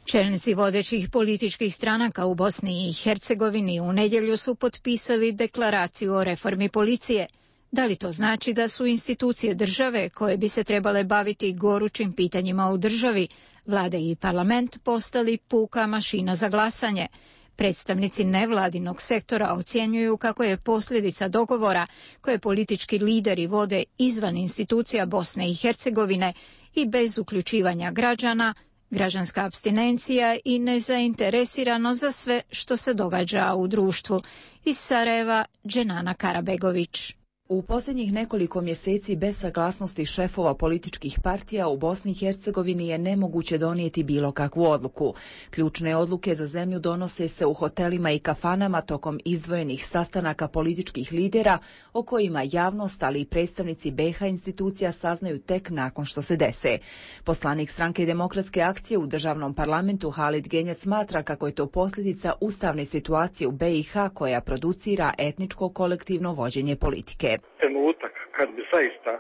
Čelnici vodećih političkih stranaka u Bosni i Hercegovini u nedjelju su potpisali deklaraciju o reformi policije. Da li to znači da su institucije države koje bi se trebale baviti gorućim pitanjima u državi, vlada i parlament, postali puka mašina za glasanje? Predstavnici nevladinog sektora ocjenjuju kako je posljedica dogovora koje politički lideri vode izvan institucija Bosne i Hercegovine i bez uključivanja građana, građanska apstinencija i nezainteresirano za sve što se događa u društvu. Iz Sarajeva, Dženana Karabegović. U posljednjih nekoliko mjeseci bez saglasnosti šefova političkih partija u Bosni i Hercegovini je nemoguće donijeti bilo kakvu odluku. Ključne odluke za zemlju donose se u hotelima i kafanama tokom izdvojenih sastanaka političkih lidera o kojima javnost, ali i predstavnici BiH institucija saznaju tek nakon što se dese. Poslanik Stranke demokratske akcije u državnom parlamentu Halid Genjac smatra kako je to posljedica ustavne situacije u BiH koja producira etničko kolektivno vođenje politike. Trenutak kad bi zaista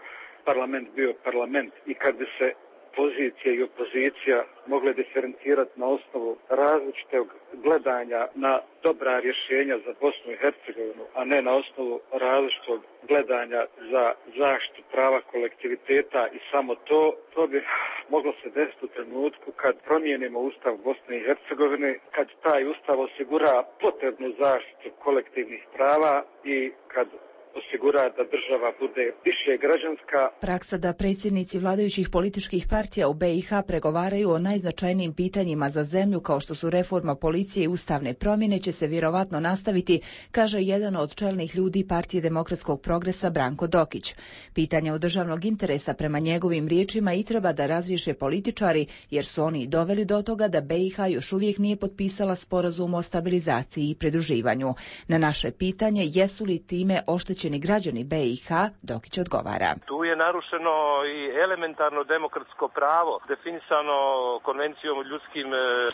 parlament bio parlament i kad bi se pozicija i opozicija mogle diferencirati na osnovu različitog gledanja na dobra rješenja za Bosnu i Hercegovinu, a ne na osnovu različitog gledanja za zaštitu prava kolektiviteta i samo to bi moglo se desiti u trenutku kad promijenimo Ustav Bosne i Hercegovine, kad taj Ustav osigura potrebnu zaštitu kolektivnih prava i kad osigura da država bude više građanska. Praksa da predsjednici vladajućih političkih partija u BiH pregovaraju o najznačajnijim pitanjima za zemlju kao što su reforma policije i ustavne promjene će se vjerovatno nastaviti, kaže jedan od čelnih ljudi Partije demokratskog progresa Branko Dokić. Pitanja od državnog interesa prema njegovim riječima i treba da razriješe političari jer su oni doveli do toga da BiH još uvijek nije potpisala sporazum o stabilizaciji i pridruživanju. Na naše pitanje jesu li time oštećeni građani BiH, Dokić odgovara. Tu je narušeno i elementarno demokratsko pravo, definisano Konvencijom o ljudskim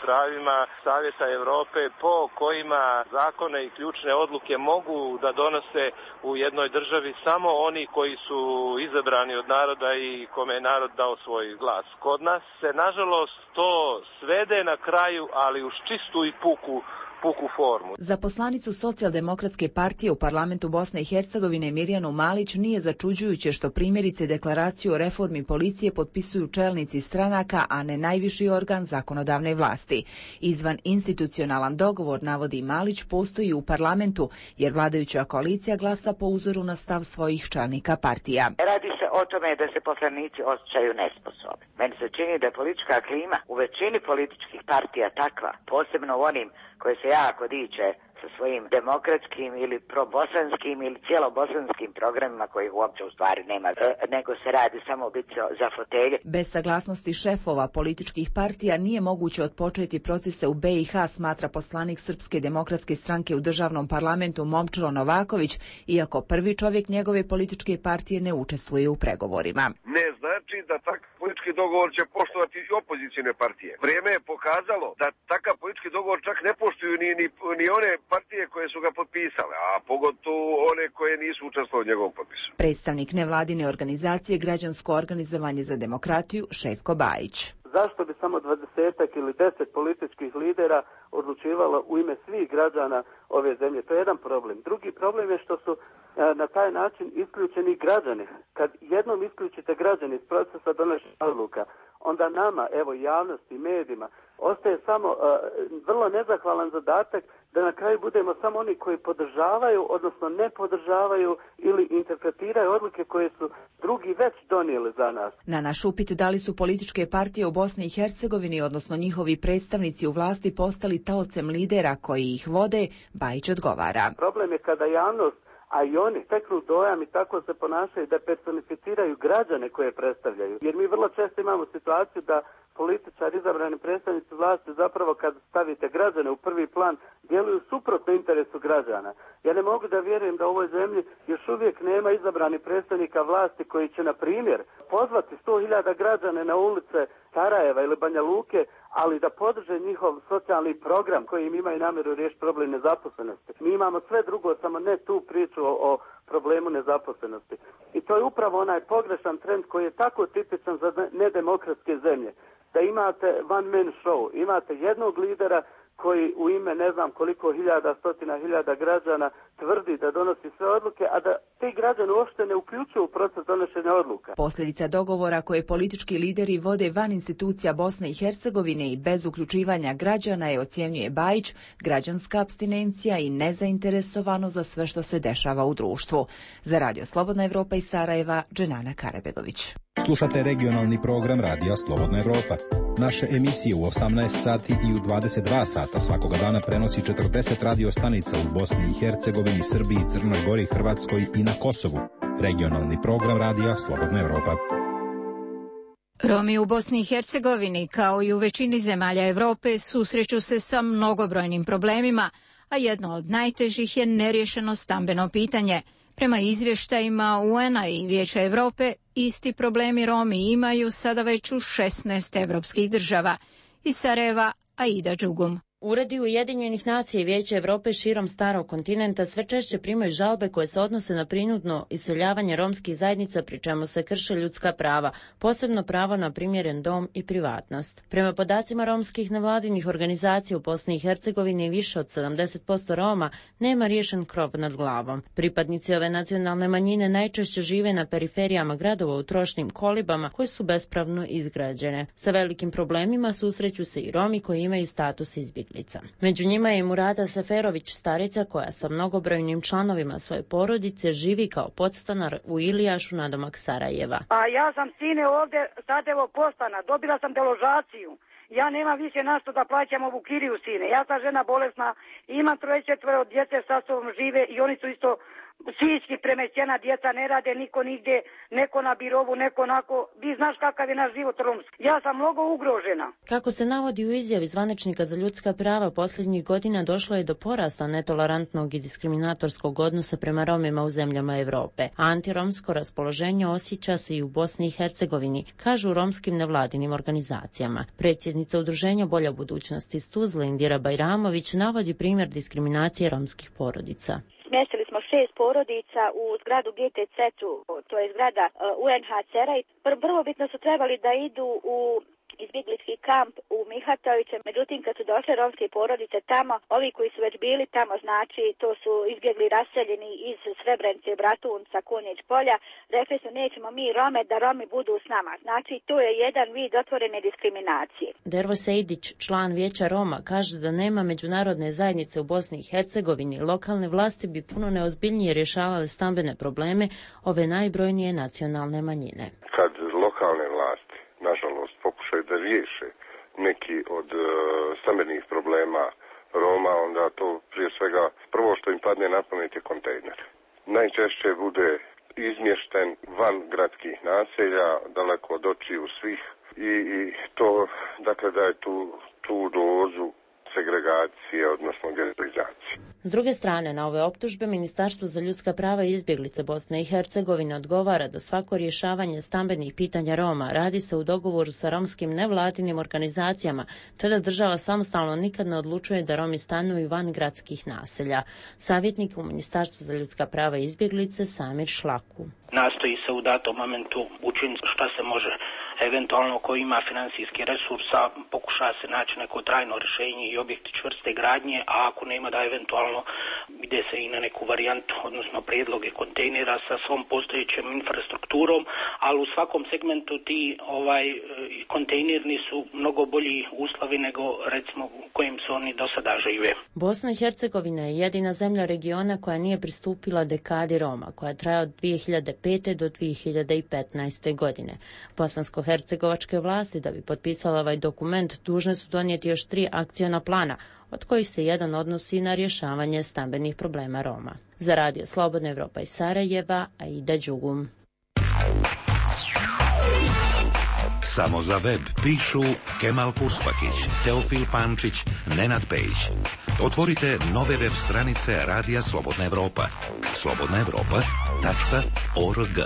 pravima Savjeta Europe, po kojima zakone i ključne odluke mogu da donose u jednoj državi samo oni koji su izabrani od naroda i kome je narod dao svoj glas. Kod nas se, nažalost, to svede na kraju, ali uz čistu i puku formu. Za poslanicu Socijaldemokratske partije u parlamentu Bosne i Hercegovine Mirjanu Malić nije začuđujuće što primjerice deklaraciju o reformi policije potpisuju čelnici stranaka, a ne najviši organ zakonodavne vlasti. Izvan institucionalan dogovor, navodi Malić, postoji u parlamentu, jer vladajuća koalicija glasa po uzoru na stav svojih čelnika partija. Radi se o tome da se poslanici osjećaju nesposobni. Meni se čini da je politička klima u većini političkih partija takva, posebno u onim koje se jako diče sa svojim demokratskim ili probosanskim ili cijelobosanskim programima kojih uopće u stvari nema, nego se radi samo biti za fotelje. Bez saglasnosti šefova političkih partija nije moguće otpočeti procese u BiH, smatra poslanik Srpske demokratske stranke u državnom parlamentu Momčilo Novaković, iako prvi čovjek njegove političke partije ne učestvuje u pregovorima. Ne znači da takav politički dogovor će poštovati i opozicijne partije. Vrijeme je pokazalo da takav politički dogovor čak ne poštuju ni one partije koje su ga potpisale, a pogotovo one koje nisu učestvovale u njegovom potpisu. Predstavnik nevladine organizacije Građansko organizovanje za demokratiju Šefko Bajić. Zašto bi samo 20 ili 10 političkih lidera odlučivalo u ime svih građana ove zemlje? To je jedan problem. Drugi problem je što su na taj način isključeni građani. Kad jednom isključite građani iz procesa donošenja odluka, onda nama, evo javnosti, medijima, ostaje samo vrlo nezahvalan zadatak da na kraju budemo samo oni koji podržavaju, odnosno ne podržavaju ili interpretiraju odluke koje su drugi već donijeli za nas. Na naš upit da li su političke partije u Bosni i Hercegovini, odnosno njihovi predstavnici u vlasti, postali taocem lidera koji ih vode, Bajić odgovara. Problem je kada javnost, a i oni steknu dojam i tako se ponašaju da personificiraju građane koje predstavljaju. Jer mi vrlo često imamo situaciju da političari, izabrani predstavnici vlasti, zapravo kad stavite građane u prvi plan, djeluju suprotno interesu građana. Ja ne mogu da vjerujem da u ovoj zemlji još uvijek nema izabrani predstavnika vlasti koji će, na primjer, pozvati 100.000 građane na ulice Sarajeva ili Banja Luke, ali da podrže njihov socijalni program koji im imaju namjeru riješiti problem nezaposlenosti. Mi imamo sve drugo, samo ne tu priču o problemu nezaposlenosti. I to je upravo onaj pogrešan trend koji je tako tipičan za nedemokratske zemlje. Da imate one man show, imate jednog lidera koji u ime ne znam koliko stotina hiljada građana tvrdi da donosi sve odluke, a da ti građani uopšte ne uključuju u proces donošenja odluka. Posljedica dogovora koje politički lideri vode van institucija Bosne i Hercegovine i bez uključivanja građana je, ocjenjuje Bajić, građanska apstinencija i nezainteresovano za sve što se dešava u društvu. Za Radio Slobodna Evropa iz Sarajeva, Dženana Karebegović. Slušate regionalni program Radija Slobodna Evropa. Naše emisije u 18 sati i u 22 sata svakoga dana prenosi 40 radio stanica u Bosni i Hercegovini, Srbiji, Crnoj Gori, Hrvatskoj i na Kosovu. Regionalni program radija Slobodna Evropa. Romi u Bosni i Hercegovini, kao i u većini zemalja Europe, susreću se sa mnogobrojnim problemima, a jedno od najtežih je neriješeno stambeno pitanje. Prema izvještajima UN-a i Vijeća Europe, isti problemi Romi imaju sada već u 16 evropskih država. Iz Sarajeva, Aida Đugum. Uredi Ujedinjenih nacija i Vijeća Europe širom starog kontinenta sve češće primaju žalbe koje se odnose na prinudno iseljavanje romskih zajednica, pri čemu se krše ljudska prava, posebno pravo na primjeren dom i privatnost. Prema podacima romskih nevladinih organizacija u Bosni i Hercegovini više od 70% Roma nema riješen krov nad glavom. Pripadnici ove nacionalne manjine najčešće žive na periferijama gradova u trošnim kolibama koje su bespravno izgrađene. Sa velikim problemima susreću se i Romi koji imaju status izbjeglica. Među njima je i Murada Seferović, starica koja sa mnogobrojnim članovima svoje porodice živi kao podstanar u Ilijašu nadomak Sarajeva. A ja sam sine ovdje sad evo postana, dobila sam deložaciju. Ja nemam više na što da plaćam ovu kiriju sine. Ja sam žena bolesna, imam 3-4 djece sa sobom žive i oni su isto psihički premešćena, djeca ne rade, niko nigdje, neko na birovu, neko onako. Vi znaš kakav je naš život romski. Ja sam mnogo ugrožena. Kako se navodi u izjavi zvaničnika za ljudska prava, posljednjih godina došlo je do porasta netolerantnog i diskriminatorskog odnosa prema Romima u zemljama Europe. Antiromsko raspoloženje osjeća se i u Bosni i Hercegovini, kažu romskim nevladinim organizacijama. Predsjednica udruženja Bolja budućnost iz Tuzle, Indira Bajramović, navodi primjer diskriminacije romskih porodica. Smjestili smo 6 porodica u zgradu GTC-u, to je zgrada UNHCR-a i prvobitno su trebali da idu u izbjeglički kamp u Mihatoviće, međutim kad su došle romske porodice tamo, ovi koji su već bili tamo, znači to su izbjegli raseljeni iz Srebrenice, Bratunca, Kunjić polja, rekli su nećemo mi Rome da Romi budu s nama. Znači to je jedan vid otvorene diskriminacije. Dervo Sejdić, član Vijeća Roma, kaže da nema međunarodne zajednice u Bosni i Hercegovini. Lokalne vlasti bi puno neozbiljnije rješavale stambene probleme ove najbrojnije nacionalne manjine. Kad lokalne vlasti nažalost pokušaju da riješe neki od stambenih problema Roma, onda to prije svega prvo što im padne na pamet je kontejner. Najčešće bude izmješten van gradskih naselja, daleko od očiju svih i to, dakle, da je tu dozu segregacije, odnosno getoizacije. S druge strane, na ove optužbe Ministarstvo za ljudska prava i izbjeglice Bosne i Hercegovine odgovara da svako rješavanje stambenih pitanja Roma radi se u dogovoru sa romskim nevladinim organizacijama, te da država samostalno nikad ne odlučuje da Romi stanuju van gradskih naselja. Savjetnik u Ministarstvu za ljudska prava i izbjeglice Samir Šlaku. Nastoji se u datom momentu učiniti šta se može. Eventualno ko ima financijski resursa pokuša se naći neko trajno rješenje i objekti čvrste gradnje, a ako nema da eventualno ide se i na neku varijantu, odnosno prijedloge kontejnera sa svom postojećom infrastrukturom, ali u svakom segmentu ti kontejnerni su mnogo bolji uslovi nego recimo u kojim su oni do sada žive. Bosna i Hercegovina je jedina zemlja regiona koja nije pristupila dekadi Roma, koja traje od 2005. do 2015. godine. Bosansko-hercegovačke vlasti, da bi potpisala ovaj dokument, dužne su donijeti još 3 akciona plana, od kojih se jedan odnosi na rješavanje stambenih problema Roma. Za Radio Slobodna Evropa iz Sarajeva, Aida Đugum. Samo za web pišu Kemal Puspakić, Teofil Pančić, Nenad Pejić. Otvorite nove web stranice Radija Slobodna Evropa. slobodnaevropa.org.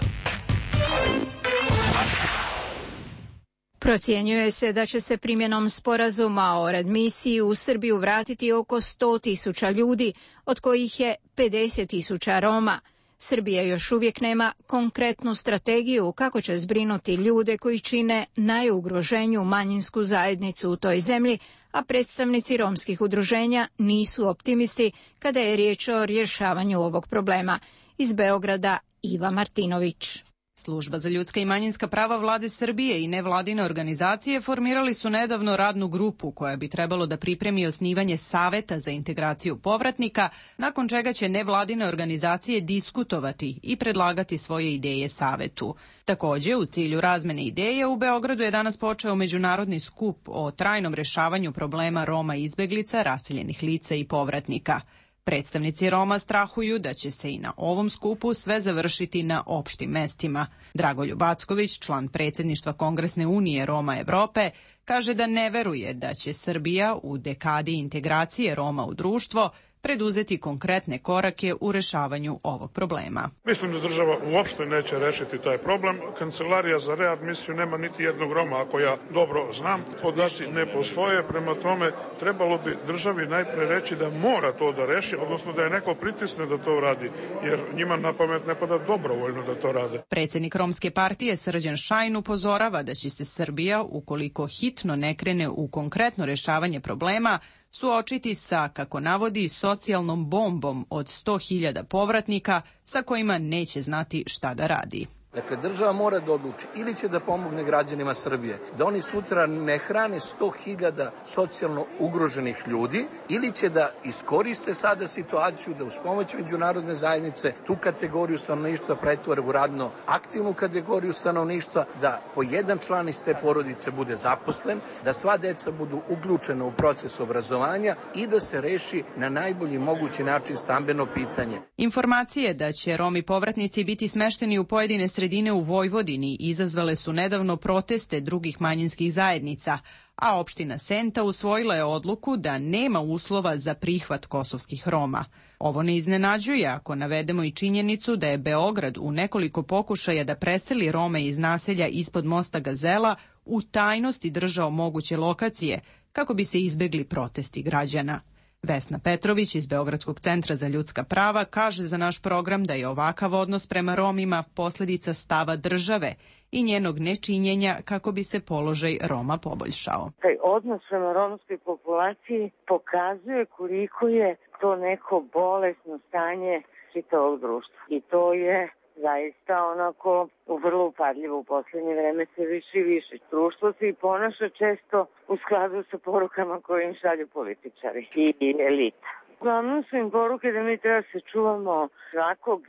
Procjenjuje se da će se primjenom sporazuma o readmisiji u Srbiju vratiti oko 100.000 ljudi, od kojih je 50.000 Roma. Srbija još uvijek nema konkretnu strategiju kako će zbrinuti ljude koji čine najugroženiju manjinsku zajednicu u toj zemlji, a predstavnici romskih udruženja nisu optimisti kada je riječ o rješavanju ovog problema. Iz Beograda, Iva Martinović. Služba za ljudska i manjinska prava vlade Srbije i nevladine organizacije formirali su nedavno radnu grupu koja bi trebalo da pripremi osnivanje Saveta za integraciju povratnika, nakon čega će nevladine organizacije diskutovati i predlagati svoje ideje Savetu. Također, u cilju razmene ideje, u Beogradu je danas počeo međunarodni skup o trajnom rešavanju problema Roma i izbeglica, raseljenih lica i povratnika. Predstavnici Roma strahuju da će se i na ovom skupu sve završiti na opštim mestima. Dragoljub Acković, član predsjedništva Kongresne unije Roma Evrope, kaže da ne veruje da će Srbija u dekadi integracije Roma u društvo preduzeti konkretne korake u rešavanju ovog problema. Mislim da država uopšte neće rešiti taj problem. Kancelarija za readmisiju nema niti jednog Roma, ako ja dobro znam. Podaci ne postoje, prema tome trebalo bi državi najpre reći da mora to da reši, odnosno da je neko pritisne da to radi, jer njima na pamet ne pada dobrovoljno da to rade. Predsjednik Romske partije Srđan Šajn upozorava da će se Srbija, ukoliko hitno ne krene u konkretno rešavanje problema, suočiti sa, kako navodi, socijalnom bombom od 100.000 povratnika sa kojima neće znati šta da radi. Dakle, država mora da odluči ili će da pomogne građanima Srbije, da oni sutra ne hrane 100.000 socijalno ugroženih ljudi, ili će da iskoriste sada situaciju da uz pomoć međunarodne zajednice tu kategoriju stanovništva pretvore u radno aktivnu kategoriju stanovništva, da po jedan član iz te porodice bude zaposlen, da sva deca budu uključena u proces obrazovanja i da se reši na najbolji mogući način stambeno pitanje. Informacije da će Romi povratnici biti smešteni u pojedine sredine u Vojvodini izazvale su nedavno proteste drugih manjinskih zajednica, a opština Senta usvojila je odluku da nema uslova za prihvat kosovskih Roma. Ovo ne iznenađuje ako navedemo i činjenicu da je Beograd u nekoliko pokušaja da preseli Rome iz naselja ispod mosta Gazela u tajnosti držao moguće lokacije kako bi se izbegli protesti građana. Vesna Petrović iz Beogradskog centra za ljudska prava kaže za naš program da je ovakav odnos prema Romima posljedica stava države i njenog nečinjenja kako bi se položaj Roma poboljšao. Taj odnos prema romskoj populaciji pokazuje koliko je to neko bolesno stanje čitavog društva. I to je zaista onako vrlo upadljivo u posljednje vreme, sve više i više. Društvo se i ponaša često u skladu sa porukama koje im šalju političari i elita. Uglavnom su im poruke da mi treba se čuvamo svakog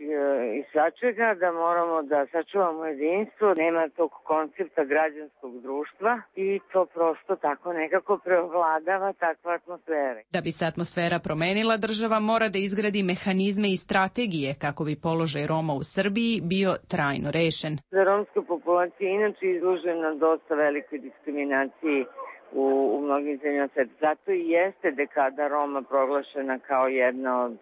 i svačega, da moramo da sačuvamo jedinstvo, nema tog koncepta građanskog društva i to prosto tako nekako preovladava takva atmosfera. Da bi se atmosfera promenila, država mora da izgradi mehanizme i strategije kako bi položaj Roma u Srbiji bio trajno rešen. Za romska populacija inače izložena dosta velikoj diskriminaciji u mnogim zemljama sveta. Zato i jeste dekada Roma proglašena kao jedna od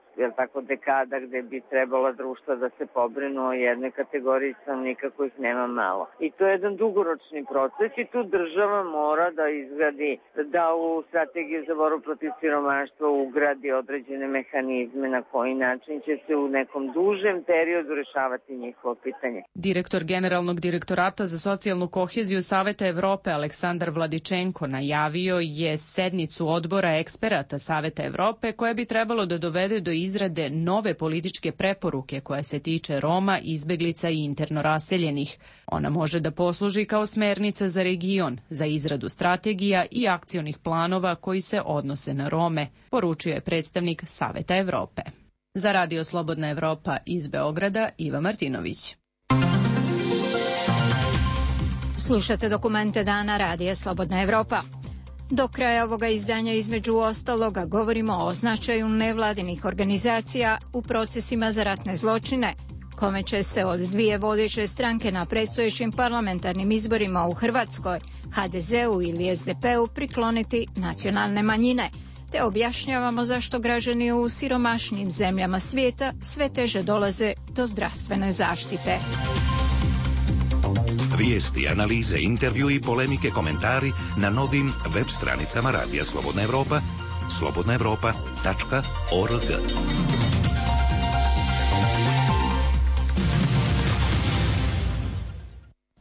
dekada gde bi trebala društva da se pobrinu o jednoj kategoriji stanovnika kojih nema malo. I to je jedan dugoročni proces i tu država mora da izgradi, da u strategiju za borbu protiv siromaštva ugradi određene mehanizme na koji način će se u nekom dužem periodu rešavati njihovo pitanje. Direktor Generalnog direktorata za socijalnu koheziju Saveta Evrope Aleksandar Vladičenko najavio je sednicu odbora eksperata Saveta Evrope koja bi trebalo da dovede do izrade nove političke preporuke koja se tiče Roma, izbeglica i interno raseljenih. Ona može da posluži kao smernica za region, za izradu strategija i akcionih planova koji se odnose na Rome, poručio je predstavnik Saveta Evrope. Za Radio Slobodna Evropa iz Beograda, Iva Martinović. Slušate dokumente dana Radija Slobodna Evropa. Do kraja ovoga izdanja između ostaloga govorimo o značaju nevladinih organizacija u procesima za ratne zločine, kome će se od dvije vodeće stranke na predstojećim parlamentarnim izborima u Hrvatskoj, HDZ-u ili SDP-u, prikloniti nacionalne manjine, te objašnjavamo zašto građani u siromašnijim zemljama svijeta sve teže dolaze do zdravstvene zaštite. Vijesti, analize, intervju i polemike, komentari na novim web stranicama Radija Slobodna Evropa, slobodnaevropa.org.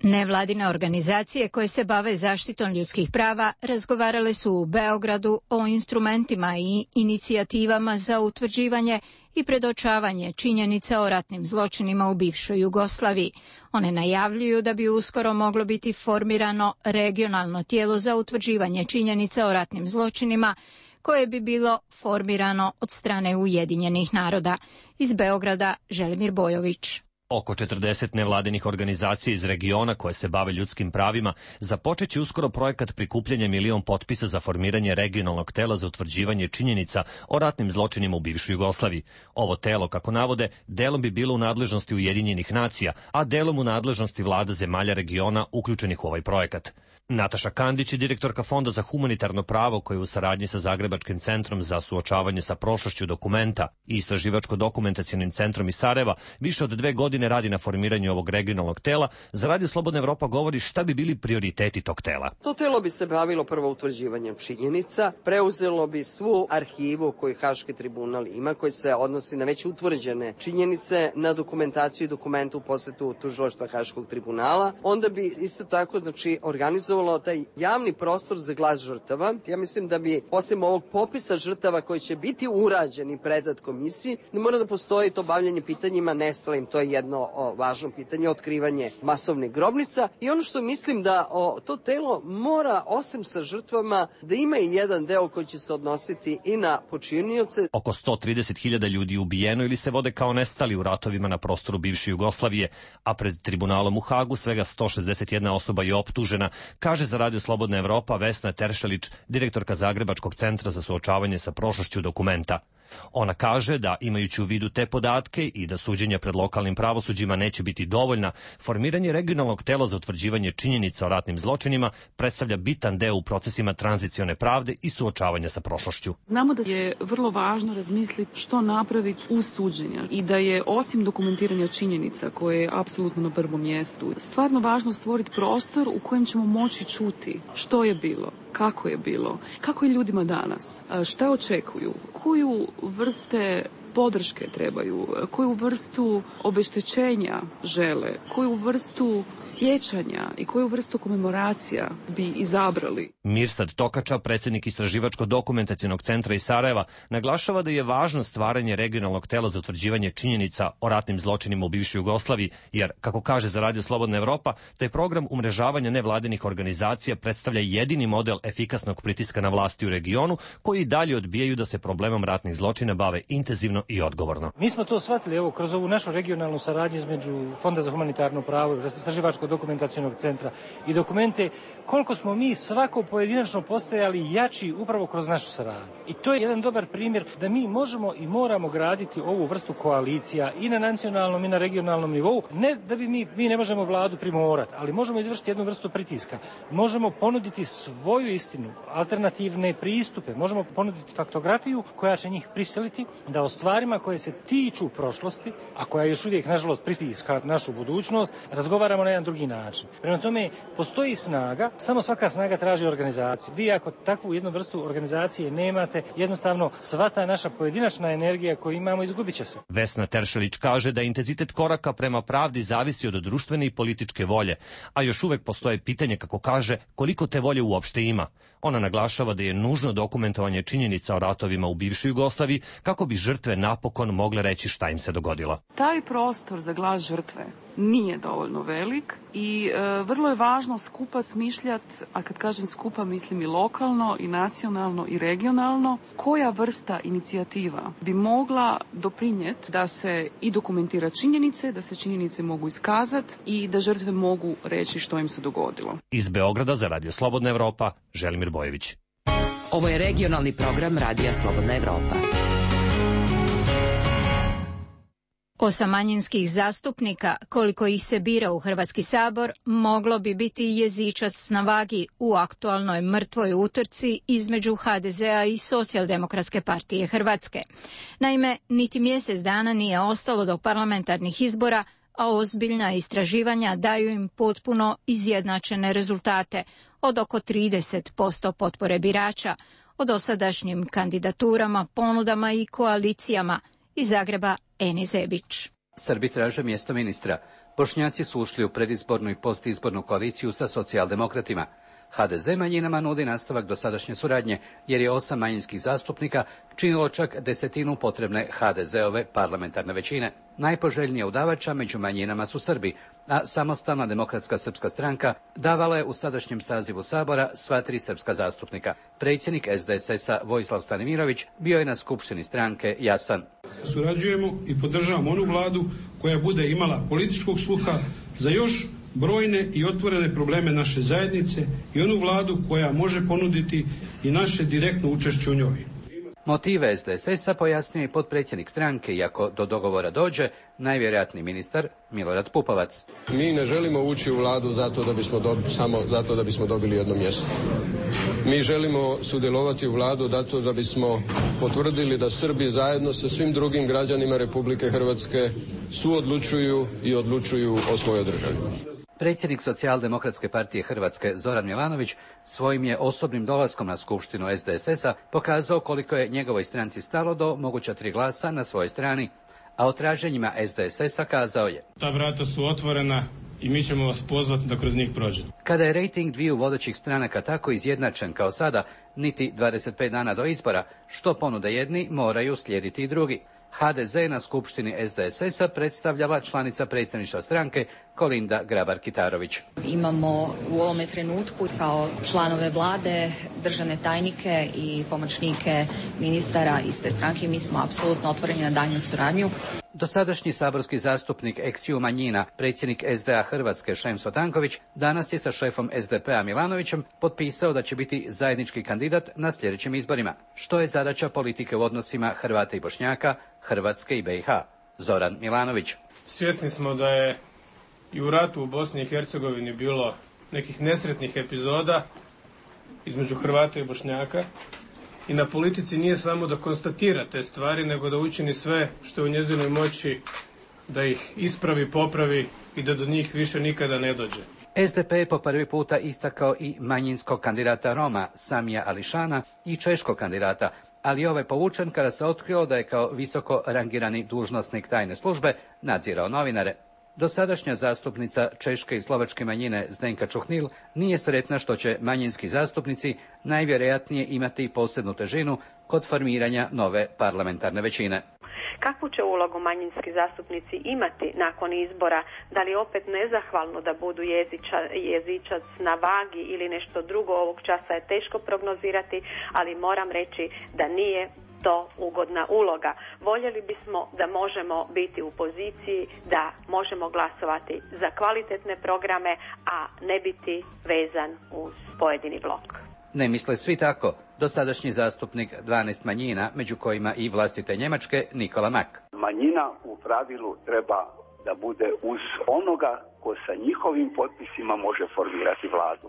Nevladine organizacije koje se bave zaštitom ljudskih prava razgovarale su u Beogradu o instrumentima i inicijativama za utvrđivanje i predočavanje činjenica o ratnim zločinima u bivšoj Jugoslaviji. One najavljuju da bi uskoro moglo biti formirano regionalno tijelo za utvrđivanje činjenica o ratnim zločinima, koje bi bilo formirano od strane Ujedinjenih naroda. Iz Beograda, Želimir Bojović. Oko 40 nevladinih organizacija iz regiona koje se bave ljudskim pravima započeće uskoro projekat prikupljanja 1.000.000 potpisa za formiranje regionalnog tela za utvrđivanje činjenica o ratnim zločinima u bivšoj Jugoslaviji. Ovo telo, kako navode, delom bi bilo u nadležnosti Ujedinjenih nacija, a delom u nadležnosti vlada zemalja regiona uključenih u ovaj projekat. Nataša Kandić je direktorka Fonda za humanitarno pravo koji u saradnji sa Zagrebačkim centrom za suočavanje sa prošlošću Dokumenta i Istraživačko-dokumentacionim centrom iz Sarajeva više od 2 godine radi na formiranju ovog regionalnog tela. Za Radio Slobodna Evropa govori šta bi bili prioriteti tog tela. To telo bi se bavilo prvo utvrđivanjem činjenica, preuzelo bi svu arhivu koju Haški tribunal ima, koji se odnosi na već utvrđene činjenice, na dokumentaciju i dokumentu u posjetu tužilaštva Haškog tribunala. Onda bi isto tako organizovalo taj javni prostor za glas žrtava. Ja mislim da bi osim ovog popisa žrtava koji će biti urađen i predat komisiji, ne mora da postoji to bavljanje pitanjima nestalim. To je jedno važno pitanje, otkrivanje masovnih grobnica. I ono što mislim da to telo mora, osim sa žrtvama, da ima i jedan deo koji će se odnositi i na počinioce. Oko 130.000 ljudi ubijeno ili se vode kao nestali u ratovima na prostoru bivše Jugoslavije, a pred tribunalom u Hagu svega 161 osoba je optužena, kaže za Radio Slobodna Evropa Vesna Teršelić, direktorka Zagrebačkog centra za suočavanje sa prošlošću Dokumenta. Ona kaže da, imajući u vidu te podatke i da suđenja pred lokalnim pravosuđima neće biti dovoljna, formiranje regionalnog tela za utvrđivanje činjenica o ratnim zločinima predstavlja bitan deo u procesima tranzicione pravde i suočavanja sa prošlošću. Znamo da je vrlo važno razmisliti što napraviti uz suđenja i da je osim dokumentiranja činjenica, koje je apsolutno na prvom mjestu, stvarno važno stvoriti prostor u kojem ćemo moći čuti što je bilo, kako je bilo, kako je ljudima danas, šta očekuju, koju vrste podrške trebaju, koju vrstu obeštećenja žele, koju vrstu sjećanja i koju vrstu komemoracija bi izabrali. Mirsad Tokača, predsjednik Istraživačko-dokumentacionog centra iz Sarajeva, naglašava da je važno stvaranje regionalnog tela za utvrđivanje činjenica o ratnim zločinima u bivšoj Jugoslaviji, jer, kako kaže za Radio Slobodna Evropa, taj program umrežavanja nevladinih organizacija predstavlja jedini model efikasnog pritiska na vlasti u regionu, koji i dalje odbijaju da se problemom ratnih zločina bave intenzivno i odgovorno. Mi smo to shvatili kroz ovu našu regionalnu saradnju između Fonda za humanitarno pravo, Istraživačko-dokumentacionog centra i Dokumente, koliko smo mi svako pojedinačno postajali jači upravo kroz našu saradnju. I to je jedan dobar primjer da mi možemo i moramo graditi ovu vrstu koalicija i na nacionalnom i na regionalnom nivou. Ne da bi mi ne možemo vladu primorati, ali možemo izvršiti jednu vrstu pritiska. Možemo ponuditi svoju istinu, alternativne pristupe, možemo ponuditi faktografiju koja će njih prisiliti da o stvarima koje se tiču prošlosti, a koja još uvijek nažalost pritiska našu budućnost, razgovaramo na jedan drugi način. Prema tome, postoji snaga, samo svaka snaga traži organizaciju. Vi ako takvu jednu vrstu organizacije nemate, jednostavno sva ta naša pojedinačna energija koju imamo izgubit će se. Vesna Teršelić kaže da intenzitet koraka prema pravdi zavisi od društvene i političke volje, a još uvek postoje pitanje, kako kaže, koliko te volje uopšte ima. Ona naglašava da je nužno dokumentovanje činjenica o ratovima u bivšoj Jugoslaviji kako bi žrtve napokon mogle reći šta im se dogodilo. Taj prostor za glas žrtve nije dovoljno velik i vrlo je važno skupa smišljati, a kad kažem skupa mislim i lokalno, i nacionalno, i regionalno, koja vrsta inicijativa bi mogla doprinijeti da se i dokumentira činjenice, da se činjenice mogu iskazati i da žrtve mogu reći što im se dogodilo. Iz Beograda za Radio Slobodna Evropa, Želimir Bojević. Ovo je regionalni program Radija Slobodna Evropa. 8 manjinskih zastupnika, koliko ih se bira u Hrvatski sabor, moglo bi biti jezičac na vagi u aktualnoj mrtvoj utrci između HDZ-a i Socijaldemokratske partije Hrvatske. Naime, niti mjesec dana nije ostalo do parlamentarnih izbora, a ozbiljna istraživanja daju im potpuno izjednačene rezultate od oko 30% potpore birača, o dosadašnjim kandidaturama, ponudama i koalicijama. Iz Zagreba, Eni Zebić. Srbi traže mjesto ministra. Bošnjaci su ušli u predizbornu i postizbornu koaliciju sa socijaldemokratima. HDZ manjinama nudi nastavak dosadašnje suradnje, jer je 8 manjinskih zastupnika činilo čak 1/10 potrebne HDZ-ove parlamentarne većine. Najpoželjnija udavača među manjinama su Srbi, a Samostalna demokratska srpska stranka davala je u sadašnjem sazivu Sabora sva 3 srpska zastupnika. Predsjednik SDSS-a Vojislav Stanimirović bio je na skupštini stranke jasan. Surađujemo i podržavamo onu vladu koja bude imala političkog sluha za još brojne i otvorene probleme naše zajednice i onu vladu koja može ponuditi i naše direktno učešće u njoj. Motive SDSS-a pojasnio je potpredsjednik stranke, iako do dogovora dođe najvjerojatniji ministar Milorad Pupovac. Mi ne želimo ući u vladu samo zato da bismo dobili jedno mjesto. Mi želimo sudjelovati u vladu zato da bismo potvrdili da Srbi zajedno sa svim drugim građanima Republike Hrvatske suodlučuju i odlučuju o svojoj državi. Predsjednik Socijaldemokratske partije Hrvatske Zoran Milanović svojim je osobnim dolaskom na skupštinu SDSS-a pokazao koliko je njegovoj stranci stalo do moguća 3 glasa na svojoj strani, a o traženjima SDSS-a kazao je: Ta vrata su otvorena i mi ćemo vas pozvati da kroz njih prođete. Kada je rejting dviju vodećih stranaka tako izjednačen kao sada, niti 25 dana do izbora, što ponude jedni, moraju slijediti i drugi. HDZ na skupštini SDSS-a predstavljala članica predsjedništva stranke Kolinda Grabar-Kitarović. Imamo u ovome trenutku kao članove vlade, državne tajnike i pomoćnike ministara iste stranke. Mi smo apsolutno otvoreni na daljnju suradnju. Dosadašnji saborski zastupnik ex-ju manjina, predsjednik SDA Hrvatske Šemso Tanković, danas je sa šefom SDP-a Milanovićem potpisao da će biti zajednički kandidat na sljedećim izborima. Što je zadaća politike u odnosima Hrvata i Bošnjaka, Hrvatske i BiH? Zoran Milanović. Svjesni smo da je i u ratu u Bosni i Hercegovini bilo nekih nesretnih epizoda između Hrvata i Bošnjaka. I na politici nije samo da konstatira te stvari, nego da učini sve što je u njezinoj moći da ih ispravi, popravi i da do njih više nikada ne dođe. SDP je po prvi puta istakao i manjinskog kandidata Roma Samija Ališana i češkog kandidata, ali ovaj povučen kada se otkrio da je kao visoko rangirani dužnosnik tajne službe nadzirao novinare. Dosadašnja zastupnica češke i slovačke manjine Zdenka Čuhnil nije sretna što će manjinski zastupnici najvjerojatnije imati posebnu težinu kod formiranja nove parlamentarne većine. Kakvu će ulogu manjinski zastupnici imati nakon izbora? Da li opet nezahvalno da budu jezičac na vagi ili nešto drugo? Ovog časa je teško prognozirati, ali moram reći da nije to ugodna uloga. Voljeli bismo da možemo biti u poziciji da možemo glasovati za kvalitetne programe, a ne biti vezan uz pojedini blok. Ne misle svi tako. Dosadašnji zastupnik 12 manjina, među kojima i vlastite Njemačke, Nikola Mak. Manjina u pravilu treba da bude uz onoga ko sa njihovim potpisima može formirati vladu.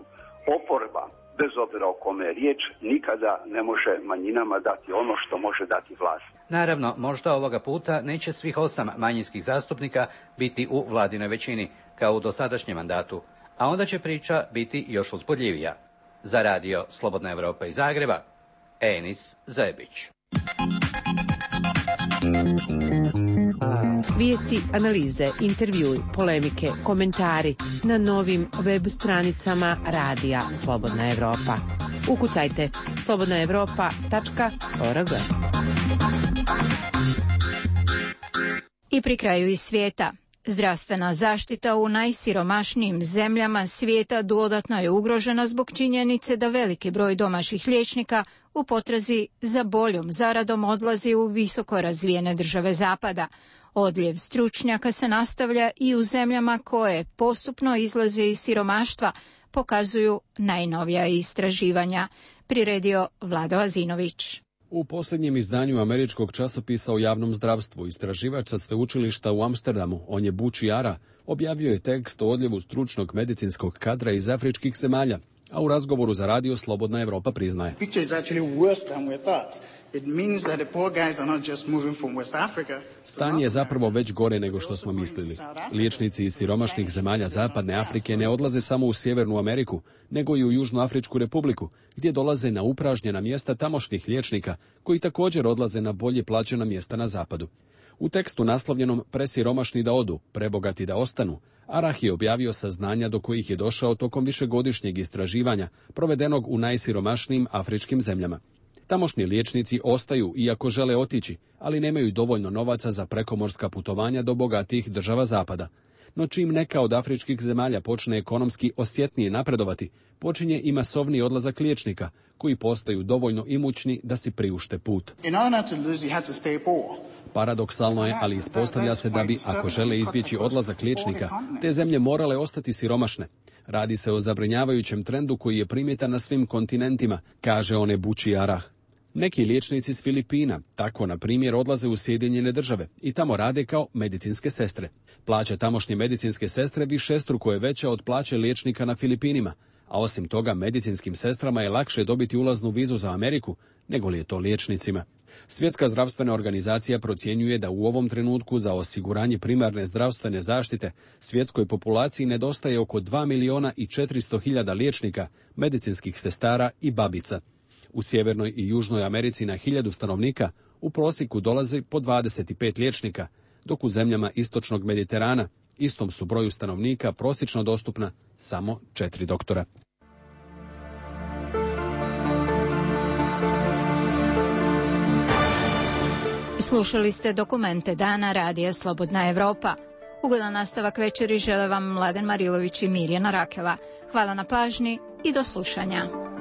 Oporba, bez obzira o kome je riječ, nikada ne može manjinama dati ono što može dati vlast. Naravno, možda ovoga puta neće svih 8 manjinskih zastupnika biti u vladinoj većini, kao u dosadašnjem mandatu, a onda će priča biti još uzbudljivija. Za radio Slobodna Evropa iz Zagreba, Enis Zebić. Vijesti, analize, intervjui, polemike, komentari na novim web stranicama radija Slobodna Evropa. Ukucajte slobodnaevropa.org. I pri kraju iz svijeta. Zdravstvena zaštita u najsiromašnijim zemljama svijeta dodatno je ugrožena zbog činjenice da veliki broj domaćih liječnika u potrazi za boljom zaradom odlazi u visoko razvijene države zapada. Odljev stručnjaka se nastavlja i u zemljama koje postupno izlaze iz siromaštva, pokazuju najnovija istraživanja. Priredio Vlado Azinović. U posljednjem izdanju američkog časopisa o javnom zdravstvu istraživač sa sveučilišta u Amsterdamu, Onyebu Chiara, objavio je tekst o odljevu stručnog medicinskog kadra iz afričkih zemalja, a u razgovoru za radio Slobodna Evropa priznaje. Stanje je zapravo već gore nego što smo mislili. Liječnici iz siromašnih zemalja Zapadne Afrike ne odlaze samo u Sjevernu Ameriku, nego i u Južnoafričku republiku, gdje dolaze na upražnjena mjesta tamošnjih liječnika, koji također odlaze na bolje plaćena mjesta na zapadu. U tekstu naslovljenom Presiromašni da odu, prebogati da ostanu, Arah je objavio saznanja do kojih je došao tokom višegodišnjeg istraživanja provedenog u najsiromašnijim afričkim zemljama. Tamošnji liječnici ostaju iako žele otići, ali nemaju dovoljno novaca za prekomorska putovanja do bogatijih država zapada. No čim neka od afričkih zemalja počne ekonomski osjetnije napredovati, počinje i masovni odlazak liječnika, koji postaju dovoljno imućni da si priušte put. Paradoksalno je, ali ispostavlja se da bi, ako žele izbjeći odlazak liječnika, te zemlje morale ostati siromašne. Radi se o zabrinjavajućem trendu koji je primjetan na svim kontinentima, kaže Onebuchi Arah. Neki liječnici s Filipina, tako na primjer, odlaze u Sjedinjene Države i tamo rade kao medicinske sestre. Plaća tamošnje medicinske sestre višestruko je veća od plaće liječnika na Filipinima, a osim toga medicinskim sestrama je lakše dobiti ulaznu vizu za Ameriku nego li je to liječnicima. Svjetska zdravstvena organizacija procjenjuje da u ovom trenutku za osiguranje primarne zdravstvene zaštite svjetskoj populaciji nedostaje oko 2.400.000 liječnika, medicinskih sestara i babica. U Sjevernoj i Južnoj Americi na 1000 stanovnika u prosjeku dolazi po 25 liječnika, dok u zemljama istočnog Mediterana istom su broju stanovnika prosječno dostupna samo 4 doktora. Slušali ste dokumente dana Radija Slobodna Evropa. Ugodan nastavak večeri žele vam Mladen Marilović i Mirjana Rakela. Hvala na pažnji i do slušanja.